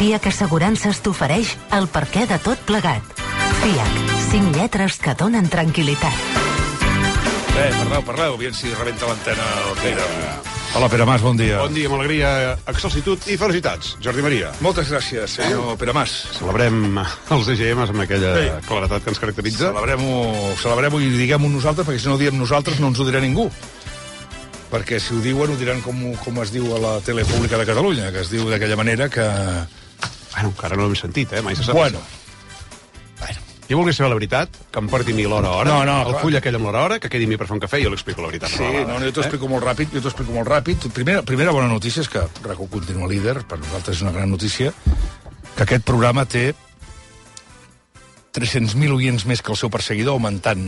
FIAC Assegurances t'ofereix el perquè de tot plegat. FIAC, 5 lletres que donen tranquil·litat. Parleu, aviam si rebenta l'antena el Crida. Hola, Pere Mas, bon dia. Bon dia, amb alegria, excelsitud i felicitats. Jordi Maria. Moltes gràcies, senyor Pere Mas. Celebrem els EGMs amb aquella claretat que ens caracteritza. Celebrem-ho i diguem-ho nosaltres, perquè si no ho diem nosaltres no ens ho dirà ningú. Perquè si ho diuen, ho diran com es diu a la tele pública de Catalunya, que es diu d'aquella manera que... Bueno, encara no l'hem sentit, mai se sap. Bueno. Jo volia saber la veritat, que em porti mi l'hora a hora. No, el full aquell amb l'hora a hora, que quedi mi per fer un cafè i jo l'explico la veritat. Sí, jo t'ho explico molt ràpid. Primera bona notícia és que RAC1 continua líder, per nosaltres és una gran notícia, que aquest programa té 300.000 oients més que el seu perseguidor, augmentant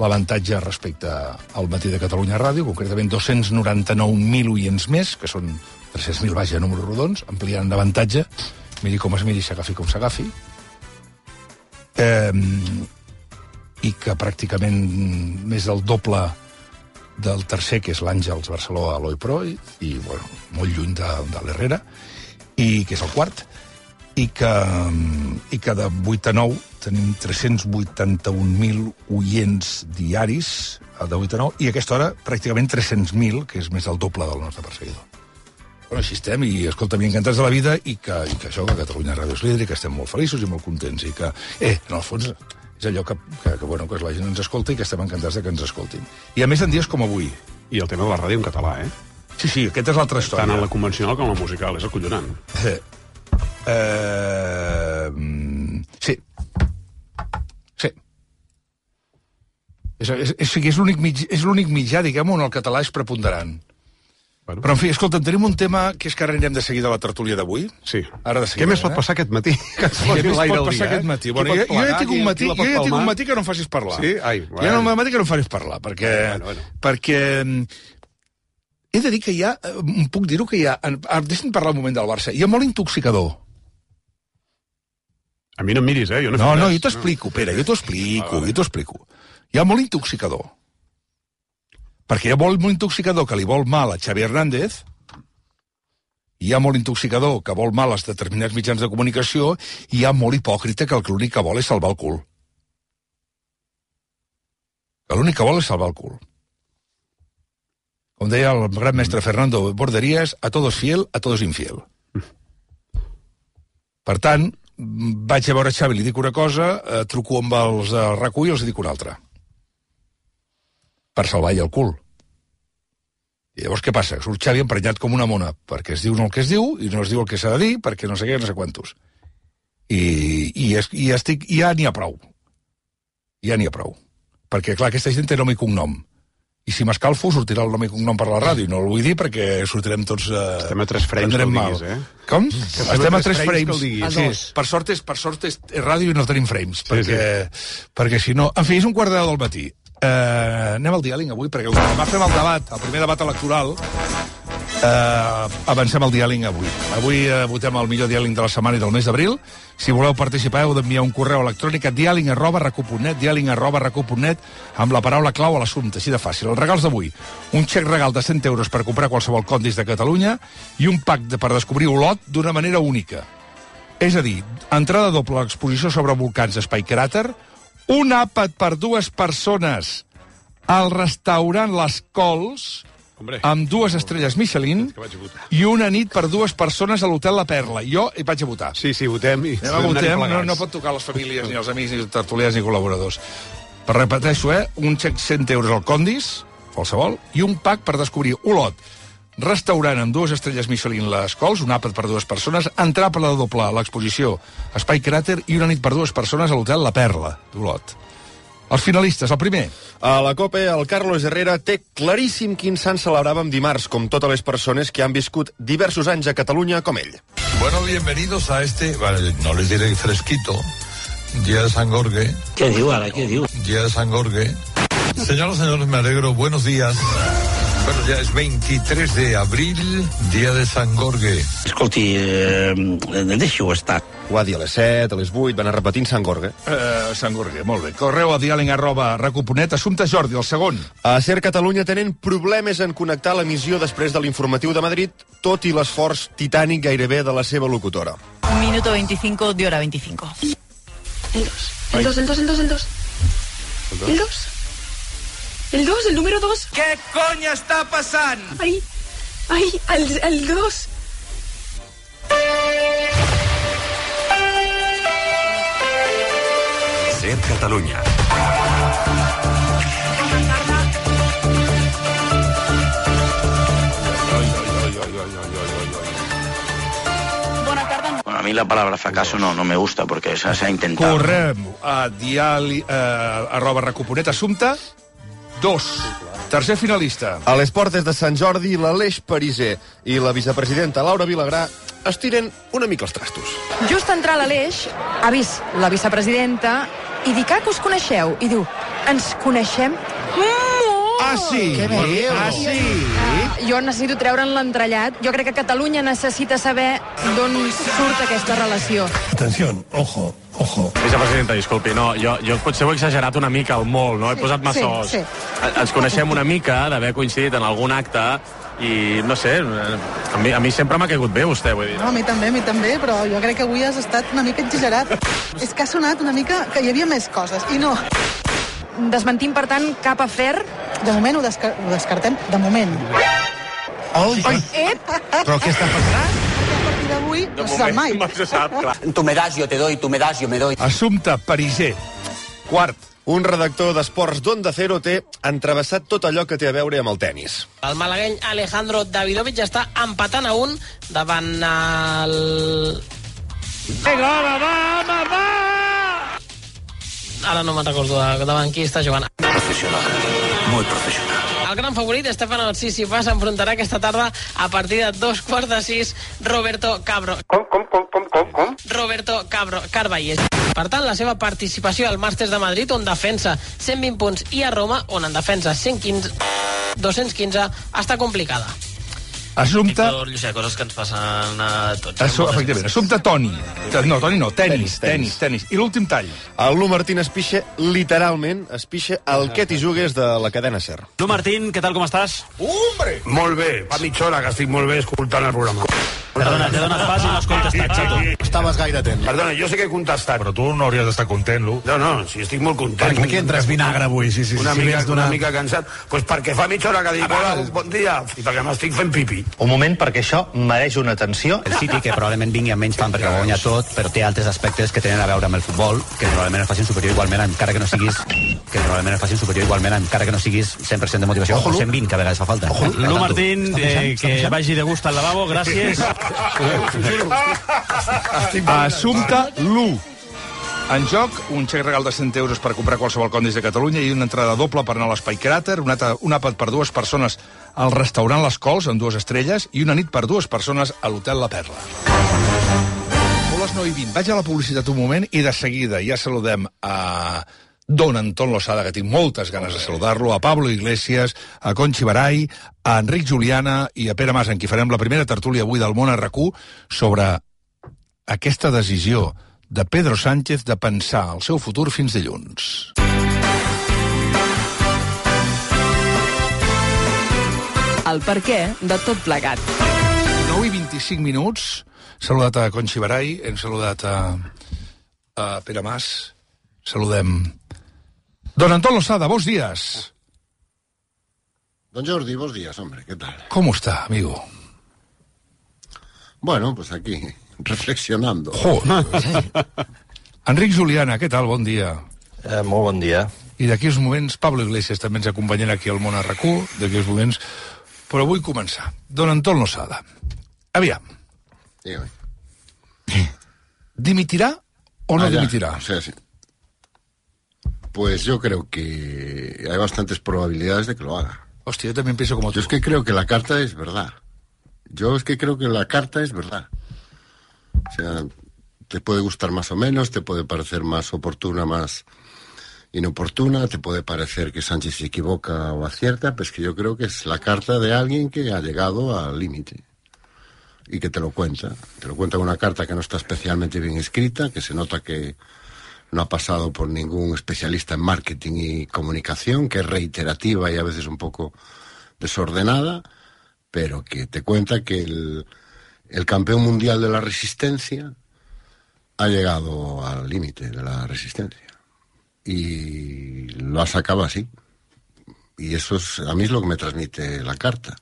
l'avantatge respecte al Matí de Catalunya Ràdio, concretament 299.000 oients més, que són 300.000, vaja, números rodons, ampliant l'avantatge, miri com es miri, s'agafi com s'agafi, i que pràcticament més del doble del tercer, que és l'Àngels Barceló a l'Oi Pro, i bueno, molt lluny de l'Herrera, i que és el quart, i que de 8 a 9 tenim 381.000 oients diaris, de 8 a 9, i a aquesta hora pràcticament 300.000, que és més del doble del nostre perseguidor. Bueno, així estem, i escolta'm, encantats de la vida, i que això, que Catalunya Ràdio és líder, i que estem molt feliços i molt contents, i que, en el fons, és allò que la gent ens escolta i que estem encantats de que ens escoltin. I a més en dies com avui. I el tema de la ràdio en català, Sí, aquesta és l'altra història. Tant en la convencional com en la musical, és acollonant. Sí. És l'únic mitjà, diguem-ho, on el català és preponderant. Bueno. Però, en fi, escolta, tenim un tema que és que ara anirem de seguida a la tertúlia d'avui. Sí. Ara de seguida, Què més pot passar aquest matí? Què més pot passar aquest matí? Bueno, jo ja tinc un matí que no em facis parlar. Sí? Ai, bueno. Ja no un matí que no em facis parlar, perquè... Perquè he de dir que hi ha... Puc dir-ho que hi ha... Deixa'm parlar un moment del Barça. Hi ha molt intoxicador. A mi no em miris, jo no No, jo t'explico, Pere, jo t'ho explico. Hi ha molt intoxicador. Perquè hi ha molt intoxicador que li vol mal a Xavi Hernández, hi ha molt intoxicador que vol mal als determinats mitjans de comunicació, i hi ha molt hipòcrita que l'únic que vol és salvar el cul. Que l'únic que vol és salvar el cul. Com deia el gran mestre Fernando Borderías, a todos fiel, a todos infiel. Per tant, vaig a veure Xavi, li dic una cosa, truco amb els de RAC1 i els dic una altra. Per salvar-hi el cul. I llavors què passa? Surt Xavi emprenyat com una mona, perquè es diu el que es diu, i no es diu el que s'ha de dir, perquè no sé què, no sé quantos. I ja n'hi ha prou. Ja n'hi ha prou. Perquè, clar, aquesta gent té nom i cognom. I si m'escalfo, sortirà el nom i cognom per la ràdio. No el vull dir perquè sortirem tots... Estem a 3 frames que el diguis, Com? Estem a 3 frames. Sí. Per sort és ràdio i no tenim frames, perquè si no... En fi, és 1:15 del matí. Anem al diàling avui, perquè demà fem el debat, el primer debat electoral. Avancem al diàling avui. Avui votem el millor diàling de la setmana i del mes d'abril. Si voleu participar, heu d'enviar un correu electrònic a diàling@racu.net, amb la paraula clau a l'assumpte, així de fàcil. Els regals d'avui: un xec regal de 100 euros per comprar qualsevol condis de Catalunya i un pack per descobrir Olot d'una manera única. És a dir, entrada doble a l'exposició sobre volcans Espai Cràter, un àpat per 2 persones al restaurant Les Cols, amb 2 estrelles Michelin, i una nit per 2 persones a l'hotel La Perla. Jo hi vaig a votar. Sí, votem. No pot tocar les famílies, ni els amics, ni els tertulians, ni col·laboradors. Però repeteixo, un xec 100 euros al Condis, qualsevol, i un pack per descobrir Olot, restaurant amb 2 estrelles Michelin Les Cols, un àpat per 2 persones, entrada doble a l'exposició Espai Cràter i una nit per 2 persones a l'hotel La Perla d'Olot. Els finalistes, el primer. A la COPE, el Carlos Herrera té claríssim quin sant celebràvem dimarts, com totes les persones que han viscut diversos anys a Catalunya com ell. Bueno, bienvenidos a no les diré fresquito, Día de San Jorge. ¿Qué diu ara, què diu? Día de San Jorge. Señoras y señores, me alegro, buenos días. Bueno, ja és 23 d'abril, dia de Sant Gorge. Escolti, deixi-ho estar. Ho va dir a les 7, a les 8, va anar repetint Sant Gorge. Sant Gorge, molt bé. Correu a diàling@racu.net. Assumpte Jordi, el segon. A Ser Catalunya tenen problemes en connectar l'emissió després de l'informatiu de Madrid, tot i l'esforç titànic gairebé de la seva locutora. Minuto 25 de hora 25. El 2. El 2, el número 2. Què cony està passant? Ai, el 2. Ser Catalunya. Bona tarda. Bueno, a mí la palabra fracaso no me gusta porque se ha intentado. Correm a @recuponet. Assumpte 2. Tercer finalista. A les portes de Sant Jordi, l'Aleix Pariser i la vicepresidenta Laura Vilagrà estiren una mica els trastos. Just entrar l'Aleix, ha vist la vicepresidenta i dic, que us coneixeu? I diu, ens coneixem molt! Ah, sí? Que bé. Ah, sí? Jo necessito treure'n l'entrellat. Jo crec que Catalunya necessita saber d'on surt aquesta relació. Atenció, ojo. Vicepresidenta, disculpi, no, jo potser ho he exagerat una mica, el molt, no? He posat massa os. Sí. Ens coneixem una mica d'haver coincidit en algun acte i, no sé, a mi sempre m'ha caigut bé vostè, vull dir. No, a mi també, però jo crec que avui has estat una mica exagerat. És que ha sonat una mica que hi havia més coses, i no. Desmentim, per tant, cap afer. De moment ho descartem, de moment. Però què està passant? A partir d'avui no se sap mai. No se sap, clar. Tu me das, yo te doy, tu me das, yo me doy. Assumpte Pariser. Quart. Un redactor d'esports d'Onda Cero té entrevessat tot allò que té a veure amb el tennis. El malagueny Alejandro Davidovich està empatant a 1 davant el... Va! Ara no me'n recordo davant qui està jugant. Muy profesional. El gran favorit, Stefano Tsitsipas, s'enfrontarà aquesta tarda a partir de 2:45 Roberto Cabro. Com? Roberto Carballes. Per tant, la seva participació al Màsters de Madrid, on defensa 120 punts, i a Roma, on en defensa 215, està complicada. Assumpte... Llucià, coses que ens passen a tots. Efectivament, assumpte Toni. No, Toni no, tenis. I l'últim tall. El Lu Martín espixa, literalment, el que t'hi jugues de la cadena SER. Lu Martín, què tal, com estàs? Hombre! Molt bé, fa mitja hora que estic molt bé escoltant el programa. Perdona, t'he donat pas i no has contestat, xato. Estaves gaire atent. Perdona, jo sé que he contestat. Però tu no hauries d'estar content, Lu. No, sí, estic molt content. Per què entres vinagre avui? Sí, una mica cansat. Pues perquè fa mitja hora que dic, hola, bon dia, i perquè m'estic fent pipi. Un moment, perquè això mereix una atenció. El City, que probablement vingui amb menys fan perquè ho guanya tot, però té altres aspectes que tenen a veure amb el futbol, que probablement el facin superior igualment, encara que no siguis 100% de motivació, o 120, que a vegades fa falta. Lu Martín, que vagi de gust al lavabo, gràcies. Assumpte Lu. En joc, un xec regal de 100 euros per comprar qualsevol condis de Catalunya i una entrada doble per anar a l'Espai Cràter, un àpat per 2 persones al restaurant Les Cols, amb 2 estrelles, i una nit per 2 persones a l'Hotel La Perla. Són les 9:20. Vaig a la publicitat un moment i de seguida ja saludem a don Anton Losada, que tinc moltes ganes de saludar-lo, a Pablo Iglesias, a Conchi Barai, a Enric Juliana i a Pere Mas, en qui farem la primera tertúlia avui del Món a RAC1 sobre aquesta decisió de Pedro Sánchez de pensar el seu futur fins dilluns. El perquè de tot plegat. 9:25. Saludat a Conchi Barai, hem saludat a Pere Mas, saludem don Anton Losada, bons días. Don Jordi, bons días, hombre, ¿qué tal? ¿Cómo está, amigo? Bueno, pues aquí, reflexionando. Enric Juliana, què tal? Bon dia. Molt bon dia. I d'aquí uns moments, Pablo Iglesias també ens acompanyarà aquí al Món a RAC1, d'aquí uns moments, però vull començar. Don Anton Losada, aviam. Dígame. ¿Dimitirá o no dimitirá? Sí. Pues yo creo que hay bastantes probabilidades de que lo haga. Hostia, yo también pienso como tú. Yo es que creo que la carta es verdad. O sea, te puede gustar más o menos, te puede parecer más oportuna, más inoportuna, te puede parecer que Sánchez se equivoca o acierta, pero es que yo creo que es la carta de alguien que ha llegado al límite y que te lo cuenta. Te lo cuenta con una carta que no está especialmente bien escrita, que se nota que no ha pasado por ningún especialista en marketing y comunicación, que es reiterativa y a veces un poco desordenada, pero que te cuenta que el campeón mundial de la resistencia ha llegado al límite de la resistencia. Y lo ha sacado así. Y eso a mí es lo que me transmite la carta.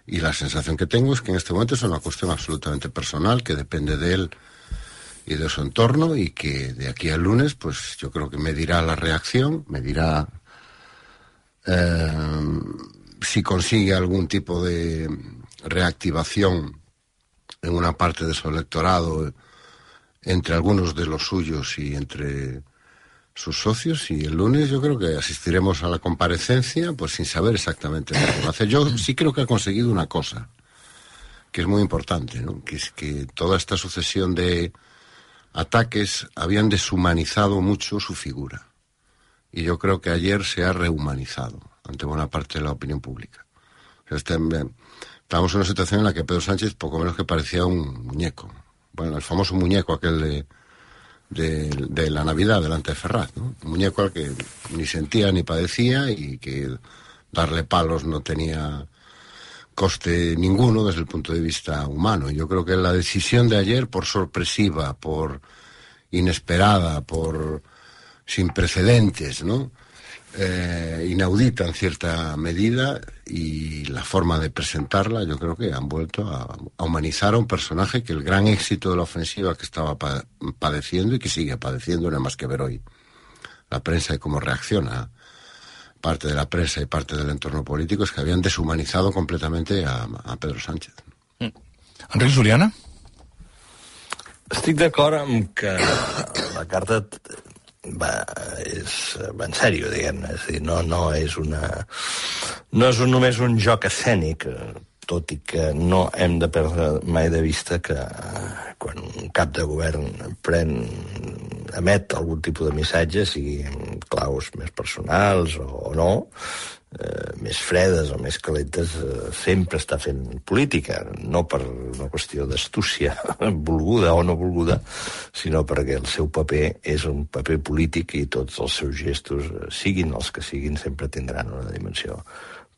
Y la sensación que tengo es que en este momento es una cuestión absolutamente personal, que depende de él y de su entorno, y que de aquí al lunes, pues yo creo que me dirá la reacción, me dirá si consigue algún tipo de reactivación en una parte de su electorado, entre algunos de los suyos y entre sus socios, y el lunes yo creo que asistiremos a la comparecencia pues sin saber exactamente lo que va a hacer. Yo sí creo que ha conseguido una cosa que es muy importante, ¿no? Que es que toda esta sucesión de ataques habían deshumanizado mucho su figura, y yo creo que ayer se ha rehumanizado ante buena parte de la opinión pública. O sea, estábamos en una situación en la que Pedro Sánchez poco menos que parecía un muñeco, bueno, el famoso muñeco aquel de la Navidad delante de Ferraz, ¿no? Un muñeco al que ni sentía ni padecía, y que darle palos no tenía coste ninguno desde el punto de vista humano. Y yo creo que la decisión de ayer, por sorpresiva, por inesperada, por sin precedentes, ¿no? Inaudita en cierta medida, y la forma de presentarla, yo creo que han vuelto a humanizar a un personaje que el gran éxito de la ofensiva que estaba padeciendo y que sigue padeciendo, no hay más que ver hoy la prensa y cómo reacciona parte de la prensa y parte del entorno político, es que habían deshumanizado completamente a Pedro Sánchez. Enric Juliana? Estic d'acord amb que la carta va en sèrio, diguem-ne. És a dir, no és només un joc escènic, tot i que no hem de perdre mai de vista que quan un cap de govern emet algun tipus de missatge, siguin claus més personals o no, més fredes o més calentes, sempre està fent política, no per una qüestió d'astúcia volguda o no volguda, sinó perquè el seu paper és un paper polític, i tots els seus gestos, siguin els que siguin, sempre tindran una dimensió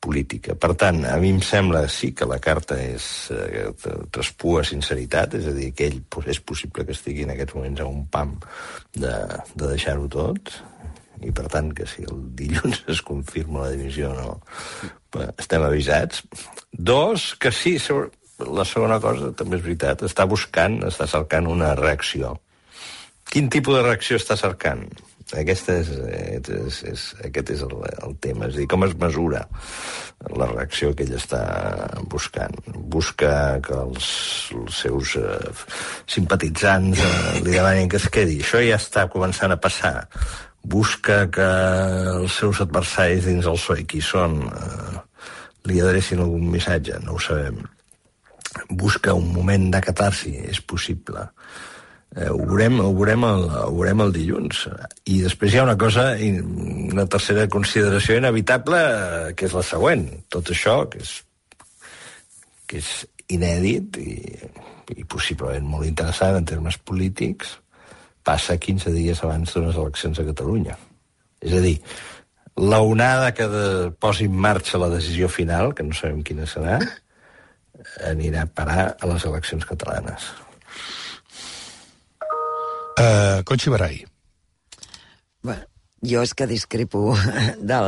política. Per tant, a mi em sembla sí que la carta traspua sinceritat, és a dir, que ell és possible que estigui en aquests moments a un pam de deixar-ho tot, i per tant que si el dilluns es confirma la dimissió o no, estem avisats. Dos, que sí, la segona cosa també és veritat, està cercant una reacció. Quin tipus de reacció està cercant? Aquest és el tema, és a dir, com es mesura la reacció que ell està buscant. Busca que els seus simpatitzants li demanin que es quedi. Això ja està començant a passar. Busca que els seus adversaris dins el PSOE, qui són, li adrecin algun missatge, no ho sabem. Busca un moment de catarsi, és possible. Ho veurem el dilluns. I després hi ha una cosa, una tercera consideració inevitable, que és la següent. Tot això, que és inèdit i possiblement molt interessant en termes polítics, passa 15 dies abans d'unes eleccions a Catalunya. És a dir, l'onada que posi en marxa la decisió final, que no sabem quina serà, anirà a parar a les eleccions catalanes. Conchi Barai. Bueno, jo és que discrepo de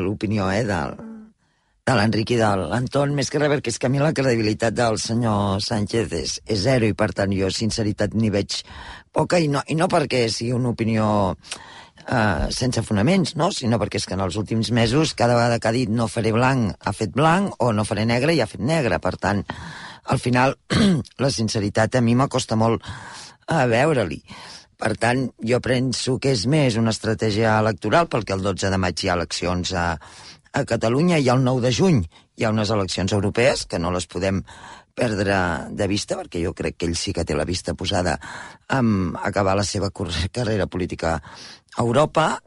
l'opinió de l'Enric i de l'Anton, més que res, perquè és que a mi la credibilitat del senyor Sánchez és zero, i per tant jo sinceritat n'hi veig poca, i no perquè sigui una opinió sense fonaments, no? Sinó perquè és que en els últims mesos cada vegada que ha dit no faré blanc ha fet blanc, o no faré negre i ha fet negre. Per tant, al final la sinceritat a mi m'acosta molt a veure-li. Per tant, jo penso que és més una estratègia electoral, perquè el 12 de maig hi ha eleccions a Catalunya, i el 9 de juny hi ha unes eleccions europees que no les podem perdre de vista, perquè jo crec que ell sí que té la vista posada en acabar la seva carrera política a Europa,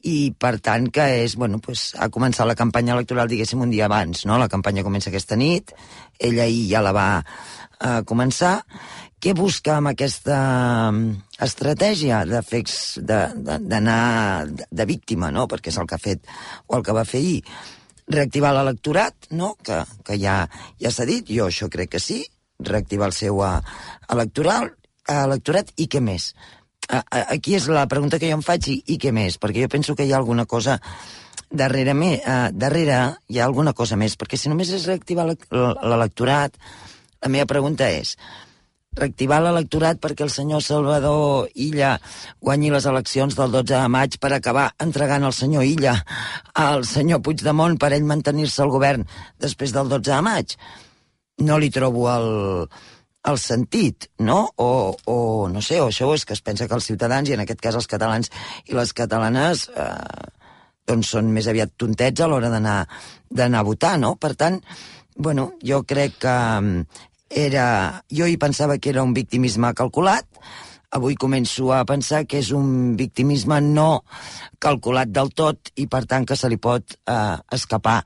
i per tant que és, bueno, pues, ha començat la campanya electoral, diguéssim, un dia abans, no? La campanya comença aquesta nit, ell ahir ja la va començar. Què busca amb aquesta estratègia d'anar de víctima, no? Perquè és el que ha fet, o el que va fer ahir, reactivar l'electorat, no? Que ja s'ha dit, jo això crec que sí, reactivar el seu electoral, electorat i què més? Aquí és la pregunta que jo em faig i què més? Perquè jo penso que hi ha alguna cosa darrere hi ha alguna cosa més, perquè si només és reactivar l'electorat, la meva pregunta és reactivar l'electorat perquè el senyor Salvador Illa guanyi les eleccions del 12 de maig per acabar entregant el senyor Illa al senyor Puigdemont per ell mantenir-se al govern després del 12 de maig. No li trobo el sentit, no? O no sé, o això és que es pensa que els ciutadans, i en aquest cas els catalans i les catalanes, doncs són més aviat tontets a l'hora d'anar a votar, no? Per tant, bueno, jo crec que jo hi pensava que era un victimisme calculat, avui començo a pensar que és un victimisme no calculat del tot i per tant que se li pot escapar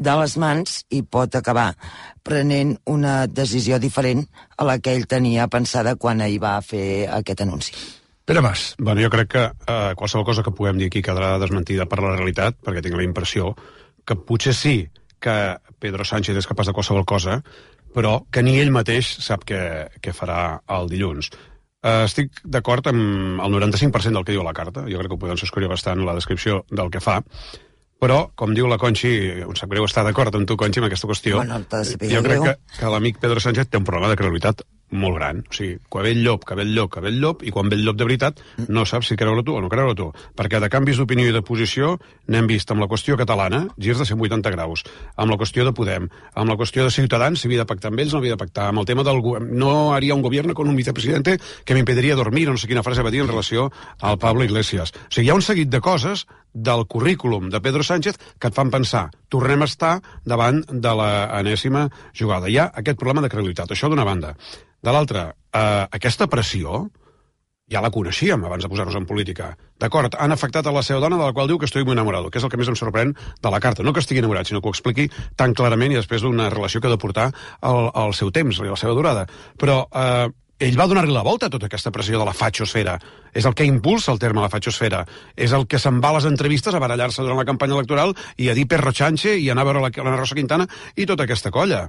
de les mans i pot acabar prenent una decisió diferent a la que ell tenia pensada quan ell va fer aquest anunci. Pere Mas. Bueno, jo crec que qualsevol cosa que puguem dir aquí quedarà desmentida per la realitat, perquè tinc la impressió que potser sí que Pedro Sánchez és capaç de qualsevol cosa, però que ni ell mateix sap què farà el dilluns. Estic d'acord amb el 95% del que diu la carta, jo crec que ho podem escollir bastant la descripció del que fa, però, com diu la Conxi, em sap greu estar d'acord amb tu, Conxi, en aquesta qüestió, jo crec que l'amic Pedro Sánchez té un problema de credibilitat molt gran. O sigui, quan ve el llop, i quan ve el llop de veritat, no saps si creure tu o no creure tu. Perquè de canvis d'opinió i de posició n'hem vist amb la qüestió catalana, girs de 180 graus, amb la qüestió de Podem, amb la qüestió de Ciutadans, si havia de pactar amb ells o no havia de pactar, amb el tema del no haria un gobierno con un vicepresidente que m'impediria dormir, no sé quina frase va dir en relació al Pablo Iglesias. O sigui, hi ha un seguit de coses del currículum de Pedro Sánchez que et fan pensar, tornem a estar davant de l'enèsima jugada. Hi ha aquest problema de credibilitat, això d'una banda. De l'altra, aquesta pressió ja la coneixíem abans de posar-nos en política. D'acord, han afectat a la seva dona, de la qual diu que estoy muy enamorado, que és el que més em sorprèn de la carta. No que estigui enamorat, sinó que ho expliqui tan clarament i després d'una relació que ha de portar el seu temps i la seva durada. Però ell va donar-li la volta a tota aquesta pressió de la fatxosfera. És el que impulsa el terme la fatxosfera. És el que se'n va a les entrevistes a barallar-se durant la campanya electoral i a dir Perro Chanche i anar a veure la Rosa Quintana i tota aquesta colla.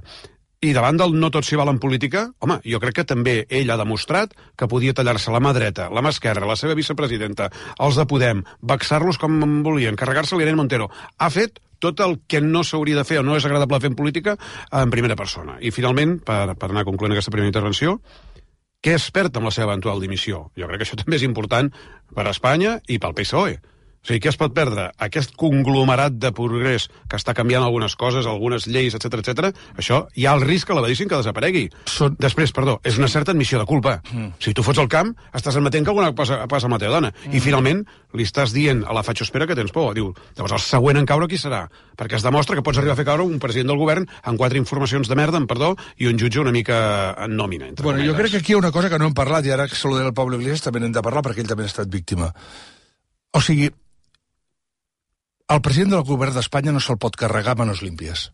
I davant del no tot s'hi val en política, home, jo crec que també ell ha demostrat que podia tallar-se la mà dreta, la mà esquerra, la seva vicepresidenta, els de Podem, vexar-los com volien, carregar-se l'Irene Montero. Ha fet tot el que no s'hauria de fer o no és agradable fer en política en primera persona. I finalment, per anar concloent aquesta primera intervenció, què es perd amb la seva eventual dimissió? Jo crec que això també és important per a Espanya i pel PSOE. O sigui, què es pot perdre? Aquest conglomerat de progrés que està canviant algunes coses, algunes lleis, etc. Això hi ha el risc que l'abadissin que desaparegui. Després, és una certa admissió de culpa. Si tu fots el camp, estàs admetent que alguna cosa passa amb la teva dona. I finalment li estàs dient a la fatxospera que tens por. Diu, llavors el següent en caure qui serà? Perquè es demostra que pots arribar a fer caure un president del govern amb 4 informacions de merda, i un jutge una mica en nòmina. Bueno, jo crec que aquí hi ha una cosa que no hem parlat, i ara que saludem el Pablo Iglesias també n'hem de parlar perquè ell també ha estat víctima. O sigui, el president del govern d'Espanya no se'l pot carregar a manos límpies.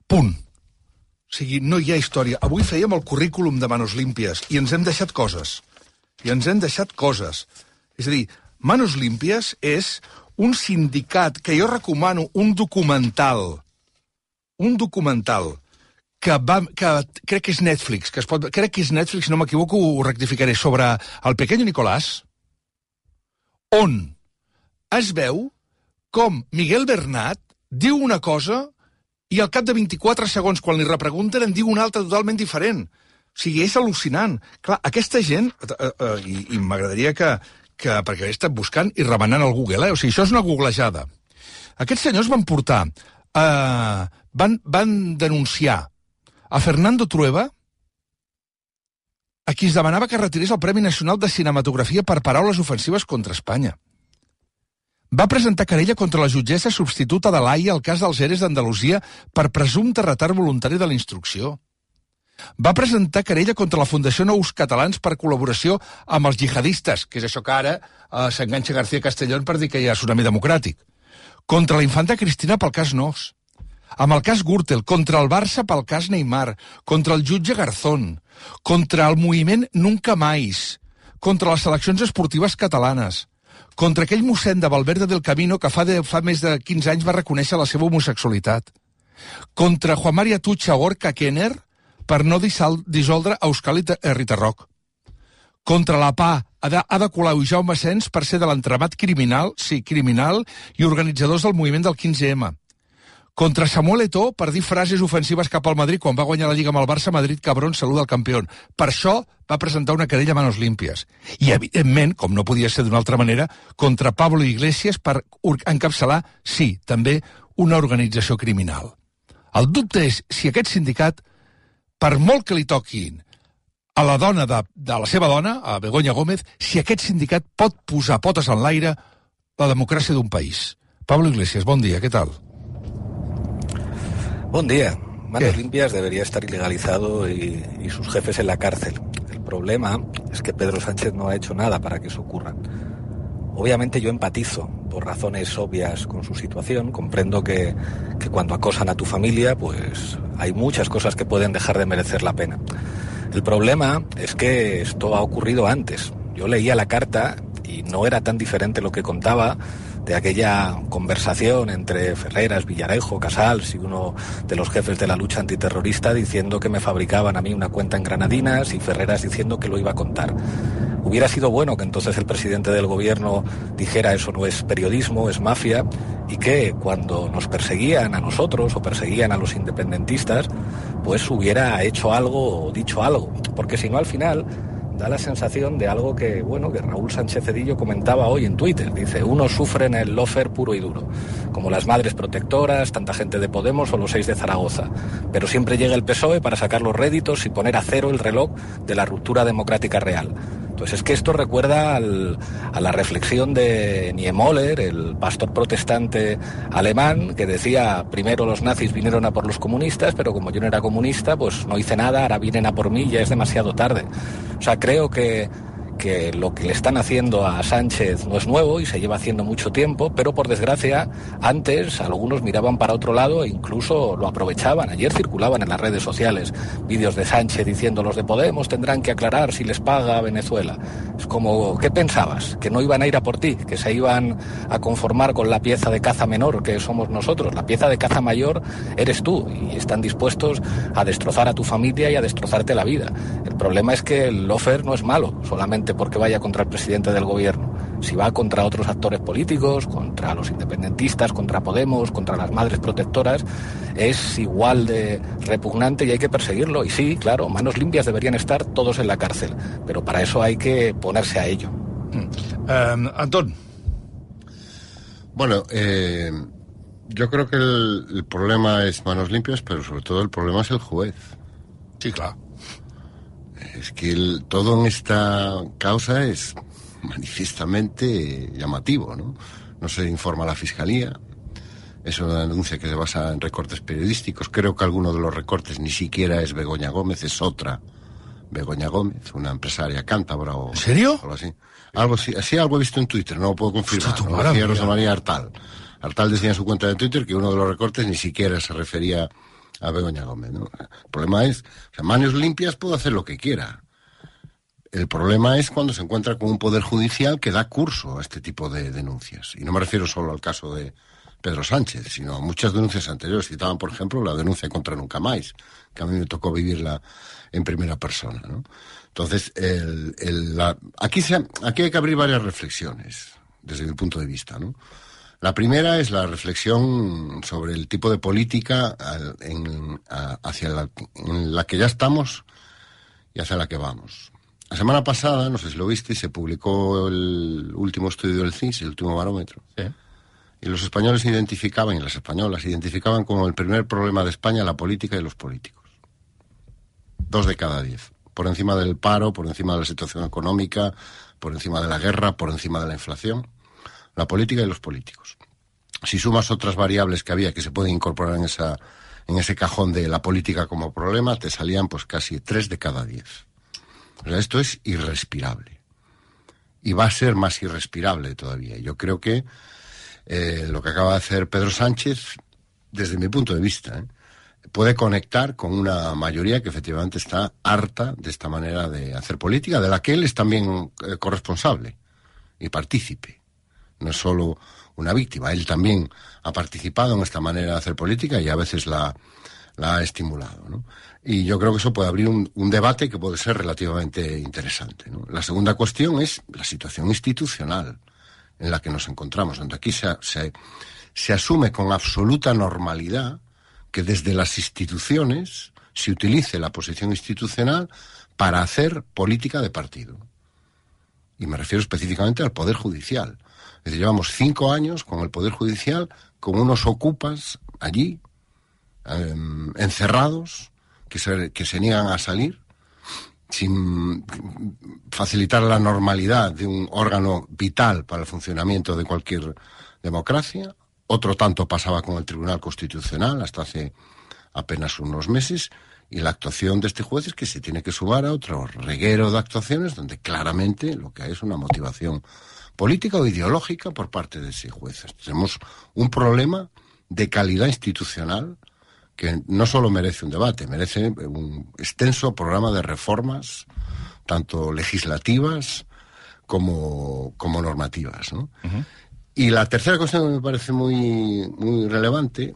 Punt. O sigui, no hi ha història. Avui fèiem el currículum de manos límpies i ens hem deixat coses. És a dir, Manos Límpies és un sindicat que jo recomano, un documental que crec que és Netflix, crec que és Netflix, no m'equivoco, ho rectificaré, sobre el Pequeño Nicolás, on es veu com Miguel Bernat diu una cosa i al cap de 24 segons, quan li repregunten, en diu una altra totalment diferent. O sigui, és al·lucinant. Clar, aquesta gent, i m'agradaria que perquè he estat buscant i remenant al Google, o sigui, això és una googlejada. Aquests senyors van portar, van denunciar a Fernando Trueba, a qui es demanava que retirés el Premi Nacional de Cinematografia per paraules ofensives contra Espanya. Va presentar querella contra la jutgessa substituta de l'AIA al cas dels ERES d'Andalusia per presumpte retard voluntari de la instrucció. Va presentar querella contra la Fundació Nous Catalans per col·laboració amb els jihadistes, que és això que ara s'enganxa García Castellón per dir que hi ha tsunami democràtic. Contra la infanta Cristina pel cas Nos. Amb el cas Gürtel, contra el Barça pel cas Neymar, contra el jutge Garzón, contra el moviment Nunca Mais, contra les seleccions esportives catalanes, contra aquell mossèn de Valverde del Camino que fa més de 15 anys va reconèixer la seva homosexualitat, contra Juan María Tucha Orca Kenner per no dissoldre Euskal Herritarrok, Contra la PA, Ada Colau i Jaume Sens per ser de l'entramat criminal, sí, criminal, i organitzadors del moviment del 15M. Contra Samuel Eto'o per dir frases ofensives cap al Madrid quan va guanyar la Lliga amb el Barça, Madrid cabrón, saluda al campió. Per això va presentar una querella a manos limpias. I, evidentment, com no podia ser d'una altra manera, contra Pablo Iglesias per encapçalar, sí, també una organització criminal. El dubte és si aquest sindicat, per molt que li toquin a la dona de la seva dona, a Begoña Gómez, si aquest sindicat pot posar potes en l'aire la democràcia d'un país. Pablo Iglesias, bon dia, què tal? Buen día. Manos Limpias debería estar ilegalizado y sus jefes en la cárcel. El problema es que Pedro Sánchez no ha hecho nada para que eso ocurra. Obviamente yo empatizo por razones obvias con su situación. Comprendo que cuando acosan a tu familia, pues hay muchas cosas que pueden dejar de merecer la pena. El problema es que esto ha ocurrido antes. Yo leía la carta y no era tan diferente lo que contaba de aquella conversación entre Ferreras, Villarejo, Casals y uno de los jefes de la lucha antiterrorista diciendo que me fabricaban a mí una cuenta en Granadinas y Ferreras diciendo que lo iba a contar. Hubiera sido bueno que entonces el presidente del gobierno dijera eso no es periodismo, es mafia, y que cuando nos perseguían a nosotros o perseguían a los independentistas, pues hubiera hecho algo o dicho algo, porque si no al final da la sensación de algo que, bueno, que Raúl Sánchez Cedillo comentaba hoy en Twitter. Dice, unos sufren el lawfare puro y duro, como las madres protectoras, tanta gente de Podemos o los 6 de Zaragoza. Pero siempre llega el PSOE para sacar los réditos y poner a cero el reloj de la ruptura democrática real. Entonces es que esto recuerda a la reflexión de Niemöller, el pastor protestante alemán, que decía, primero los nazis vinieron a por los comunistas, pero como yo no era comunista, pues no hice nada, ahora vienen a por mí, ya es demasiado tarde. O sea, creo que lo que le están haciendo a Sánchez no es nuevo y se lleva haciendo mucho tiempo, pero por desgracia antes algunos miraban para otro lado e incluso lo aprovechaban. Ayer circulaban en las redes sociales vídeos de Sánchez diciendo los de Podemos tendrán que aclarar si les paga Venezuela. Es como, ¿qué pensabas? ¿Que no iban a ir a por ti? ¿Que se iban a conformar con la pieza de caza menor que somos nosotros? La pieza de caza mayor eres tú y están dispuestos a destrozar a tu familia y a destrozarte la vida. El problema es que el lawfare no es malo, solamente porque vaya contra el presidente del gobierno. Si va contra otros actores políticos, contra los independentistas, contra Podemos, contra las madres protectoras, es igual de repugnante y hay que perseguirlo. Y sí, claro, manos limpias deberían estar todos en la cárcel, pero para eso hay que ponerse a ello. Antón. Bueno, yo creo que el problema es manos limpias, pero sobre todo el problema es el juez. Sí, claro. Es que todo en esta causa es manifiestamente llamativo, ¿no? No se informa a la Fiscalía, es una denuncia que se basa en recortes periodísticos. Creo que alguno de los recortes ni siquiera es Begoña Gómez, es otra Begoña Gómez, una empresaria cántabra o... ¿En serio? Algo así, algo he visto en Twitter, no lo puedo confirmar. Lo decía Rosa María Artal. Artal decía en su cuenta de Twitter que uno de los recortes ni siquiera se refería a Begoña Gómez, ¿no? El problema es, o sea, manos limpias puedo hacer lo que quiera. El problema es cuando se encuentra con un poder judicial que da curso a este tipo de denuncias. Y no me refiero solo al caso de Pedro Sánchez, sino a muchas denuncias anteriores. Citaban, por ejemplo, la denuncia contra Nunca Más, que a mí me tocó vivirla en primera persona, ¿no? Entonces, aquí hay que abrir varias reflexiones, desde mi punto de vista, ¿no? La primera es la reflexión sobre el tipo de política en la que ya estamos y hacia la que vamos. La semana pasada, no sé si lo viste, se publicó el último estudio del CIS, el último barómetro. Sí. Y los españoles identificaban, y las españolas identificaban como el primer problema de España la política y los políticos. 2 de cada 10. Por encima del paro, por encima de la situación económica, por encima de la guerra, por encima de la inflación. La política y los políticos. Si sumas otras variables que había que se pueden incorporar en ese cajón de la política como problema, te salían pues casi 3 de cada 10. O sea, esto es irrespirable. Y va a ser más irrespirable todavía. Yo creo que lo que acaba de hacer Pedro Sánchez, desde mi punto de vista, puede conectar con una mayoría que efectivamente está harta de esta manera de hacer política, de la que él es también corresponsable y partícipe. No es solo una víctima, él también ha participado en esta manera de hacer política y a veces la la ha estimulado, ¿no? Y yo creo que eso puede abrir un debate que puede ser relativamente interesante, ¿no? La segunda cuestión es la situación institucional en la que nos encontramos, donde aquí se asume con absoluta normalidad que desde las instituciones se utilice la posición institucional para hacer política de partido. Y me refiero específicamente al Poder Judicial. Es decir, llevamos 5 años con el Poder Judicial, con unos ocupas allí, encerrados, que se niegan a salir, sin facilitar la normalidad de un órgano vital para el funcionamiento de cualquier democracia. Otro tanto pasaba con el Tribunal Constitucional hasta hace apenas unos meses, y la actuación de este juez es que se tiene que sumar a otro reguero de actuaciones donde claramente lo que hay es una motivación política o ideológica por parte de ese juez. Tenemos un problema de calidad institucional que no solo merece un debate, merece un extenso programa de reformas, tanto legislativas como normativas, ¿no? Uh-huh. Y la tercera cuestión que me parece muy relevante,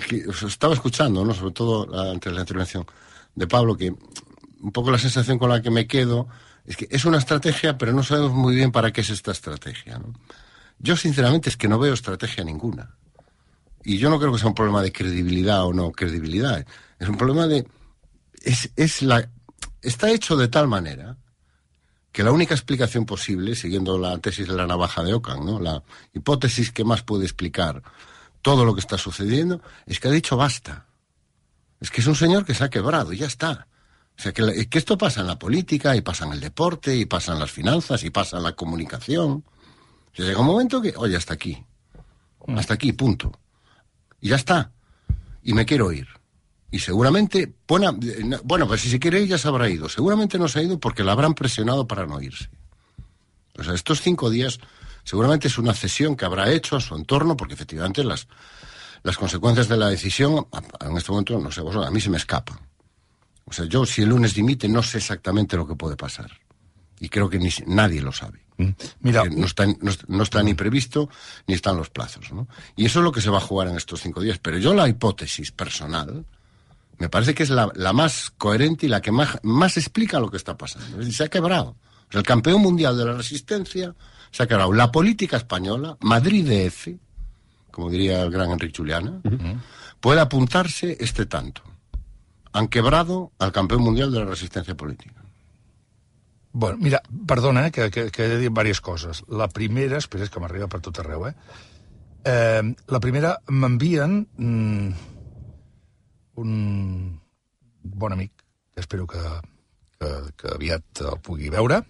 que os estaba escuchando, ¿no? Sobre todo antes de la intervención de Pablo, que un poco la sensación con la que me quedo es que es una estrategia, pero no sabemos muy bien para qué es esta estrategia, ¿no? Yo sinceramente es que no veo estrategia ninguna. Y yo no creo que sea un problema de credibilidad o no credibilidad. Es un problema de... Está hecho de tal manera que la única explicación posible, siguiendo la tesis de la navaja de Ockham, ¿no? La hipótesis que más puede explicar todo lo que está sucediendo, es que ha dicho basta. Es que es un señor que se ha quebrado y ya está. O sea, que esto pasa en la política, y pasa en el deporte, y pasa en las finanzas, y pasa en la comunicación. O sea, llega un momento que, oye, hasta aquí, punto. Y ya está. Y me quiero ir. Y seguramente, bueno, pues si se quiere ir ya se habrá ido. Seguramente no se ha ido porque la habrán presionado para no irse. O sea, estos 5 días seguramente es una cesión que habrá hecho a su entorno, porque efectivamente las consecuencias de la decisión, en este momento, no sé, a mí se me escapan. O sea, yo si el lunes dimite no sé exactamente lo que puede pasar. Y creo que nadie lo sabe. Mira, no está ni previsto ni están los plazos, ¿no? Y eso es lo que se va a jugar en estos 5 días. Pero yo la hipótesis personal me parece que es la más coherente y la que más explica lo que está pasando. Es decir, se ha quebrado. O sea, el campeón mundial de la resistencia se ha quebrado. La política española, Madrid DF, como diría el gran Enrique Juliana, puede apuntarse tanto. Han quebrado al campeón mundial de la resistencia política. Bueno, mira, perdona, que he de dir diverses coses. La primera, espera, és que m'arriba per tot arreu, la primera, m'envien un bon amic, que espero que aviat el pugui veure.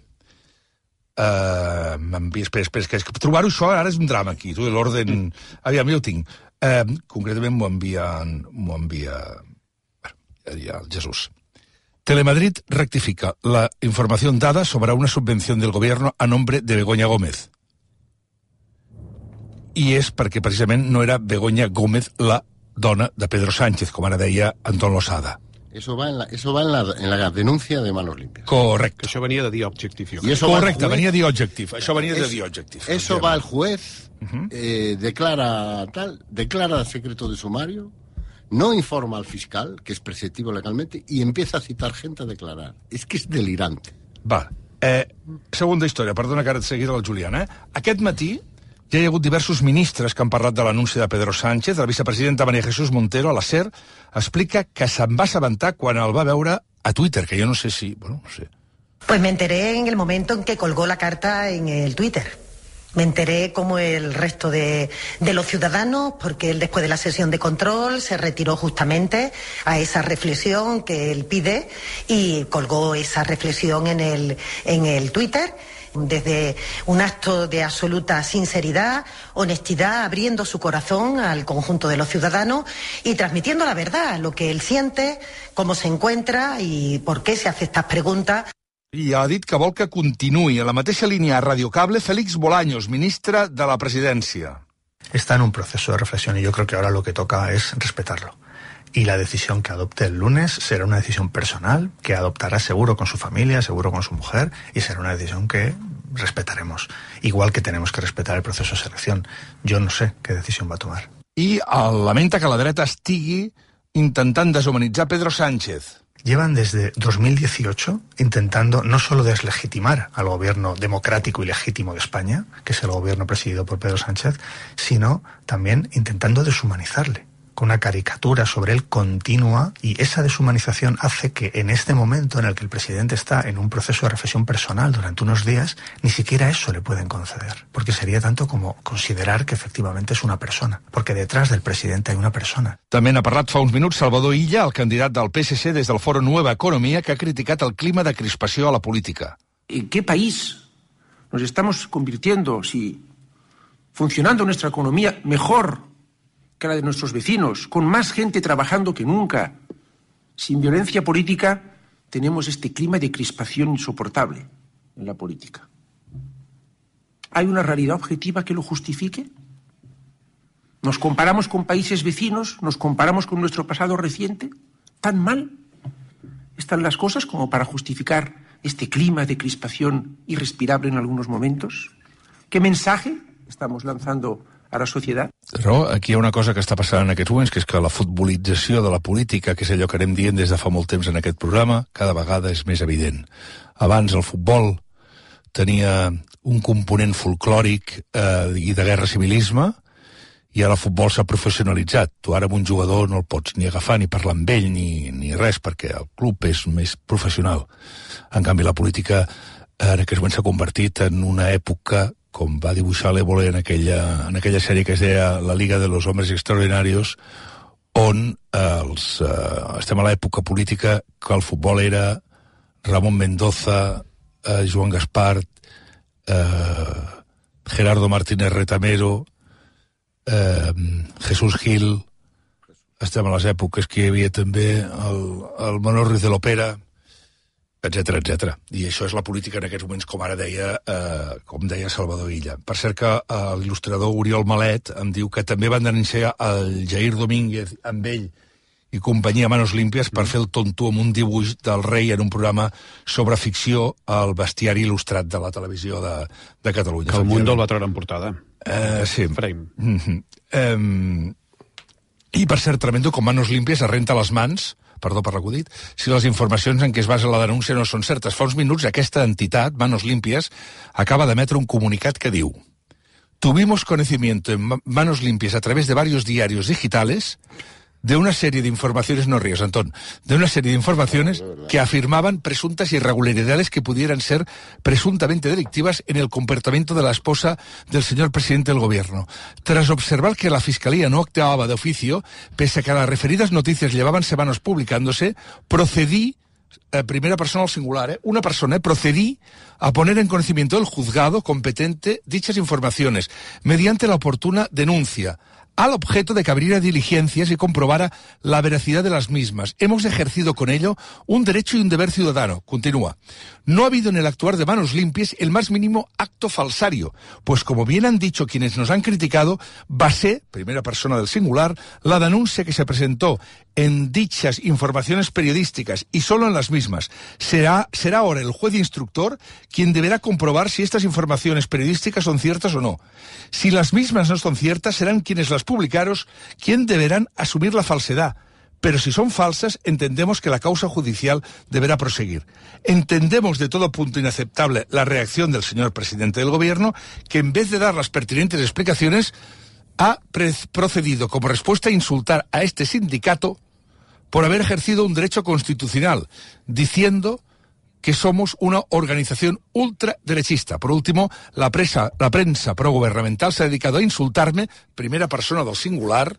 Espera, que trobar-ho això ara és un drama aquí, tu, l'ordre... Aviam, jo ho tinc. Concretament m'ho envia el Jesús. Telemadrid rectifica la información dada sobre una subvención del gobierno a nombre de Begoña Gómez. I és perquè precisament no era Begoña Gómez la dona de Pedro Sánchez, com ara deia Anton Losada. Eso va en la denuncia de Manos Limpias. Correcte. Això venia de The Objective. Correcte, venia de The Objective. Això venia de The Objective. Eso va el juez, declara secreto de sumario, no informa al fiscal, que es preceptivo legalmente, y empieza a citar gente a declarar. És que és delirante. Va. Segunda història, perdona que ara et seguiré el Julián. Aquest matí ja hi ha hagut diversos ministres que han parlat de l'anunci de Pedro Sánchez. La vicepresidenta María Jesús Montero, a la SER, explica que se'n va assabentar quan el va veure a Twitter, que jo no sé si... Bueno, no sé. Pues me enteré en el momento en que colgó la carta en el Twitter. Me enteré como el resto de los ciudadanos, porque él después de la sesión de control se retiró justamente a esa reflexión que él pide y colgó esa reflexión en el Twitter, desde un acto de absoluta sinceridad, honestidad, abriendo su corazón al conjunto de los ciudadanos y transmitiendo la verdad, lo que él siente, cómo se encuentra y por qué se hace estas preguntas. I ha dit que vol que continuï a la mateixa línia a Radio Cable Félix Bolaños, ministre de la Presidencia. Está en un proceso de reflexión y yo creo que ahora lo que toca es respetarlo. Y la decisión que adopte el lunes será una decisión personal, que adoptará seguro con su familia, seguro con su mujer, y será una decisión que respetaremos. Igual que tenemos que respetar el proceso de selección. Yo no sé qué decisión va a tomar. I lamenta que la dreta estigui intentant deshumanitzar Pedro Sánchez. Llevan desde 2018 intentando no solo deslegitimar al gobierno democrático y legítimo de España, que es el gobierno presidido por Pedro Sánchez, sino también intentando deshumanizarle, con una caricatura sobre él continua, y esa deshumanización hace que en este momento en el que el presidente está en un proceso de reflexión personal durante unos días, ni siquiera eso le pueden conceder, porque sería tanto como considerar que efectivamente es una persona, porque detrás del presidente hay una persona. També n'ha parlat fa uns minuts Salvador Illa, el candidat del PSC des del Foro Nueva Economía, que ha criticat el clima de crispació a la política. ¿En qué país nos estamos convirtiendo si funcionando nuestra economía mejor que la de nuestros vecinos, con más gente trabajando que nunca, sin violencia política, tenemos este clima de crispación insoportable en la política? ¿Hay una realidad objetiva que lo justifique? ¿Nos comparamos con países vecinos? ¿Nos comparamos con nuestro pasado reciente? ¿Tan mal están las cosas como para justificar este clima de crispación irrespirable en algunos momentos? ¿Qué mensaje estamos lanzando a la societat? Però aquí hi ha una cosa que està passant en aquests moments, que és que la futbolització de la política, que és allò que anem dient des de fa molt temps en aquest programa, cada vegada és més evident. Abans el futbol tenia un component folclòric i de guerra civilisme, i ara el futbol s'ha professionalitzat. Tu ara amb un jugador no el pots ni agafar ni parlar amb ell ni res, perquè el club és més professional. En canvi, la política en aquest moment s'ha convertit en una època, com va dibuixar l'Évole en aquella sèrie que es deia La Liga de los Hombres Extraordinarios, on estem a l'època política que el futbol era Ramón Mendoza, Joan Gaspart, Gerardo Martínez Retamero, Jesús Gil. Estem a les èpoques que hi havia també el Manolo Ruiz de l'Opera, etcètera, etcètera. I això és la política en aquests moments, com ara deia, com deia Salvador Illa. Per cert que l'il·lustrador Oriol Malet em diu que també van denunciar el Jair Domínguez amb ell i companyia Manos Límpies per fer el tonto amb un dibuix del rei en un programa sobre ficció al bestiari il·lustrat de la televisió de Catalunya. Que el Mundo el va treure en portada. Sí. Frame. I per cert, tremendo, com Manos Límpies es renta les mans, perdó per l'acudit, si les informacions en què es basa la denúncia no són certes. Fa uns minuts aquesta entitat, Manos Limpias, acaba d'emetre un comunicat que diu: tuvimos conocimiento en Manos Limpias a través de varios diarios digitales de una serie de informaciones, no ríos, Antón, de una serie de informaciones que afirmaban presuntas irregularidades que pudieran ser presuntamente delictivas en el comportamiento de la esposa del señor presidente del gobierno. Tras observar que la Fiscalía no actuaba de oficio, pese a que las referidas noticias llevaban semanas publicándose, procedí, primera persona al singular, una persona, procedí a poner en conocimiento del juzgado competente dichas informaciones mediante la oportuna denuncia, al objeto de que abriera diligencias y comprobara la veracidad de las mismas. Hemos ejercido con ello un derecho y un deber ciudadano. Continúa. No ha habido en el actuar de Manos Limpias el más mínimo acto falsario, pues como bien han dicho quienes nos han criticado, basé, primera persona del singular, la denuncia que se presentó en dichas informaciones periodísticas y solo en las mismas. Será ahora el juez instructor quien deberá comprobar si estas informaciones periodísticas son ciertas o no. Si las mismas no son ciertas, serán quienes las publicaron quien deberán asumir la falsedad. Pero si son falsas, entendemos que la causa judicial deberá proseguir. Entendemos de todo punto inaceptable la reacción del señor presidente del gobierno, que en vez de dar las pertinentes explicaciones, ha procedido como respuesta a insultar a este sindicato por haber ejercido un derecho constitucional, diciendo que somos una organización ultraderechista. Por último, la prensa progubernamental se ha dedicado a insultarme, primera persona del singular,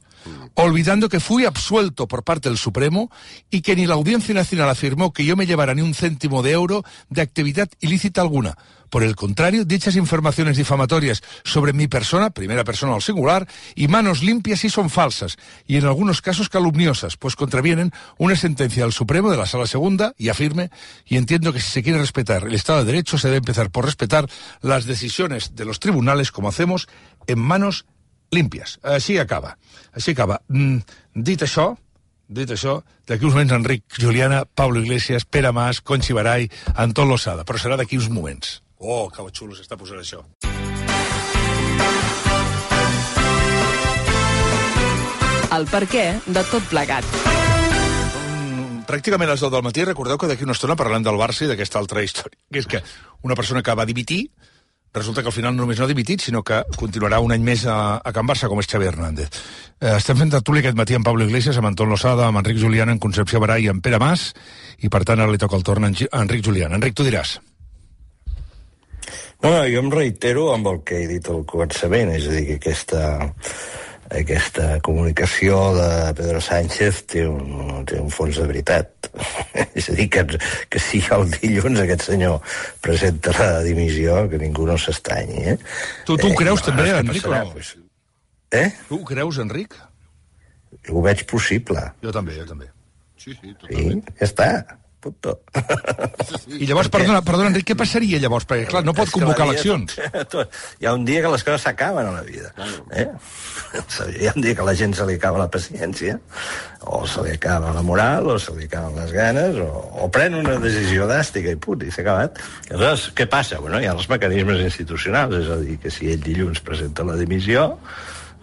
olvidando que fui absuelto por parte del Supremo y que ni la Audiencia Nacional afirmó que yo me llevara ni un céntimo de euro de actividad ilícita alguna. Por el contrario, dichas informaciones difamatorias sobre mi persona, primera persona al singular, y Manos Limpias sí son falsas, y en algunos casos calumniosas, pues contravienen una sentencia del Supremo de la Sala Segunda, y afirme, y entiendo que si se quiere respetar el Estado de Derecho, se debe empezar por respetar las decisiones de los tribunales, como hacemos en Manos Limpias. Així acaba. Dit això, d'aquí uns moments Enric Juliana, Pablo Iglesias, Pere Mas, Conchi Barai, Anton Losada, però serà d'aquí uns moments. Oh, que xulo s'està posant això. El perquè de tot plegat. pràcticament a les 10 del matí, recordeu que d'aquí una estona parlem del Barça i d'aquesta altra història, que és que una persona que va dimitir, resulta que al final només no ha dimitit, sinó que continuarà un any més a Can Barça, com és Xavi Hernández. Estem fent tertúlia aquest matí amb Pablo Iglesias, amb Anton Losada, amb Enric Julián, amb Concepció Baray i amb Pere Mas, i per tant ara li toca el torn a Enric Julián. Enric, tu diràs. No, jo em reitero amb el que he dit al començament, és a dir, que aquesta comunicació de Pedro Sánchez té un fons de veritat. És a dir, que si el dilluns aquest senyor presenta la dimissió, que ningú no s'estranyi. Tu ho creus també, Enric, o no? Tu ho creus, Enric? Ho veig possible. Jo també. Sí, totalment. Sí, ja està. Punto. I llavors, perdona, Enric, què passaria llavors? Perquè, clar, no pot convocar eleccions. Hi ha un dia que les coses s'acaben a la vida. Hi ha un dia que a la gent se li acaba la paciència, o se li acaba la moral, o se li acaben les ganes, o pren una decisió dràstica i punt, i s'ha acabat. Aleshores, què passa? Bueno, hi ha els mecanismes institucionals, és a dir, que si ell dilluns presenta la dimissió,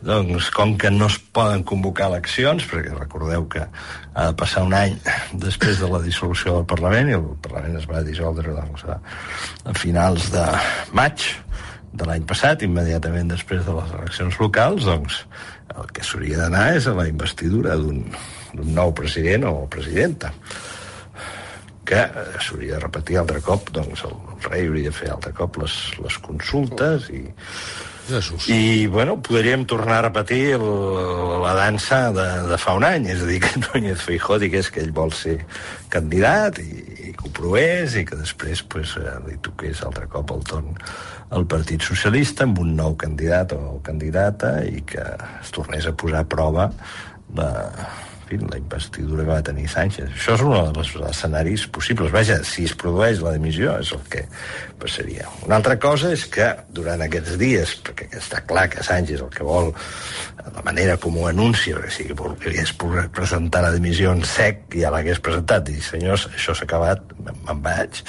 doncs, com que no es poden convocar eleccions, perquè recordeu que ha de passar un any després de la dissolució del Parlament, i el Parlament es va dissoldre a finals de maig de l'any passat, immediatament després de les eleccions locals, doncs el que s'hauria d'anar és a la investidura d'un nou president o presidenta, que s'hauria de repetir altre cop, doncs el rei hauria de fer altre cop les consultes i bueno, podríem tornar a repetir la dansa de fa un any, és a dir, que Núñez Feijóo digués que ell vol ser candidat i que ho provés i que després li toqués altre cop el torn al Partit Socialista amb un nou candidat o candidata i que es tornés a posar a prova la investidura que va tenir Sánchez. Això és un dels escenaris possibles. Vaja, si es produeix la dimissió és el que passaria. Una altra cosa és que durant aquests dies, perquè està clar que Sánchez el que vol, la manera com ho anuncia, perquè si volgués presentar la dimissió en sec, ja l'hagués presentat, i senyors, això s'ha acabat, me'n vaig.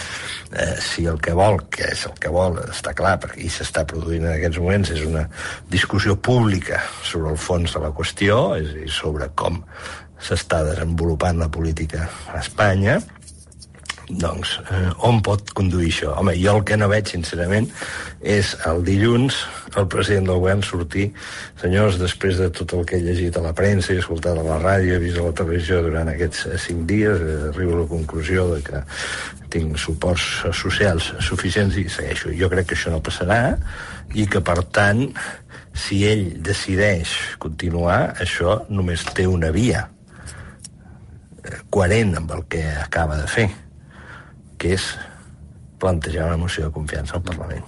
Si el que vol, que és el que vol, està clar, perquè s'està produint en aquests moments, és una discussió pública sobre el fons de la qüestió, és a dir, sobre com s'està desenvolupant la política a Espanya, doncs on pot conduir això? Home, jo el que no veig, sincerament, és el dilluns el president del govern sortir, senyors, després de tot el que he llegit a la premsa i escoltat a la ràdio, he vist a la televisió durant aquests 5 dies, arribo a la conclusió de que tinc suports socials suficients i segueixo. Jo crec que això no passarà i que, per tant, si ell decideix continuar, això només té una via coherent amb el que acaba de fer, que és plantejar una moció de confiança al Parlament.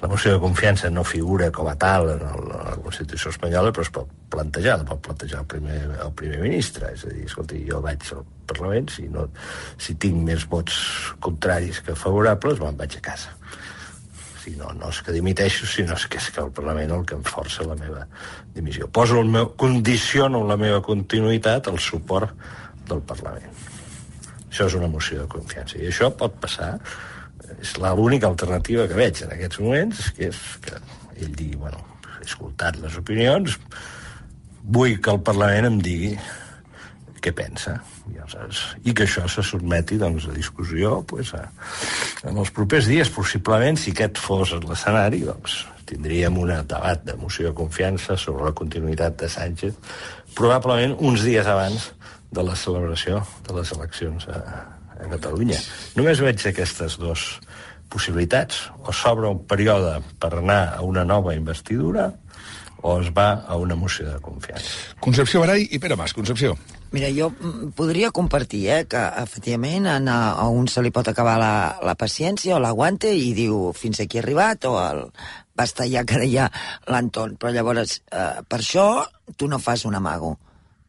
La moció de confiança no figura com a tal en la Constitució espanyola, però es pot plantejar el primer ministre. És a dir, escolti, jo vaig al Parlament, si tinc més vots contraris que favorables, me'n vaig a casa. No és que dimiteixo, sinó que és que el Parlament el que em força la meva dimissió. Condiciono la meva continuïtat al suport del Parlament. Això és una moció de confiança. I això pot passar. És l'única alternativa que veig en aquests moments, que és que ell digui, bueno, he escoltat les opinions, vull que el Parlament em digui què pensa, i que això se sotmeti doncs, a discussió en els propers dies. Possiblement, si aquest fos l'escenari, doncs, tindríem un debat de moció de confiança sobre la continuïtat de Sánchez, probablement uns dies abans de la celebració de les eleccions a Catalunya. Només veig aquestes dues possibilitats. O s'obre un període per anar a una nova investidura o es va a una moció de confiança. Concepció Baray i Pere Mas. Concepció. Mira, jo podria compartir que efectivament a un se li pot acabar la paciència o l'aguante i diu fins aquí he arribat, o basta ja que deia l'Anton. Però llavors, per això tu no fas un amago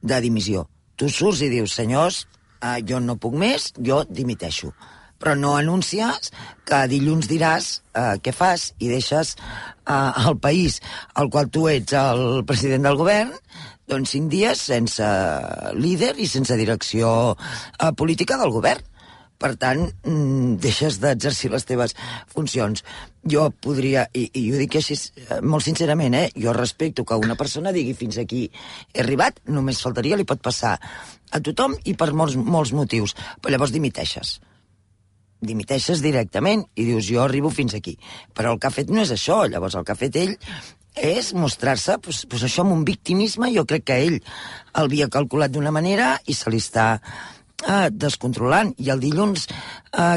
de dimissió. Tu surts i dius, senyors, jo no puc més, jo dimiteixo. Però no anuncies que dilluns diràs què fas i deixes el país al qual tu ets el president del govern, doncs 5 dies sense líder i sense direcció política del govern. Per tant, deixes d'exercir les teves funcions. Jo podria, i ho dic així molt sincerament, jo respecto que una persona digui fins aquí he arribat, només faltaria, li pot passar a tothom i per molts motius. Però llavors dimiteixes directament i dius jo arribo fins aquí. Però el que ha fet no és això, llavors el que ha fet ell és mostrar-se això amb un victimisme. Jo crec que ell el havia calculat d'una manera i se li està descontrolant. I el dilluns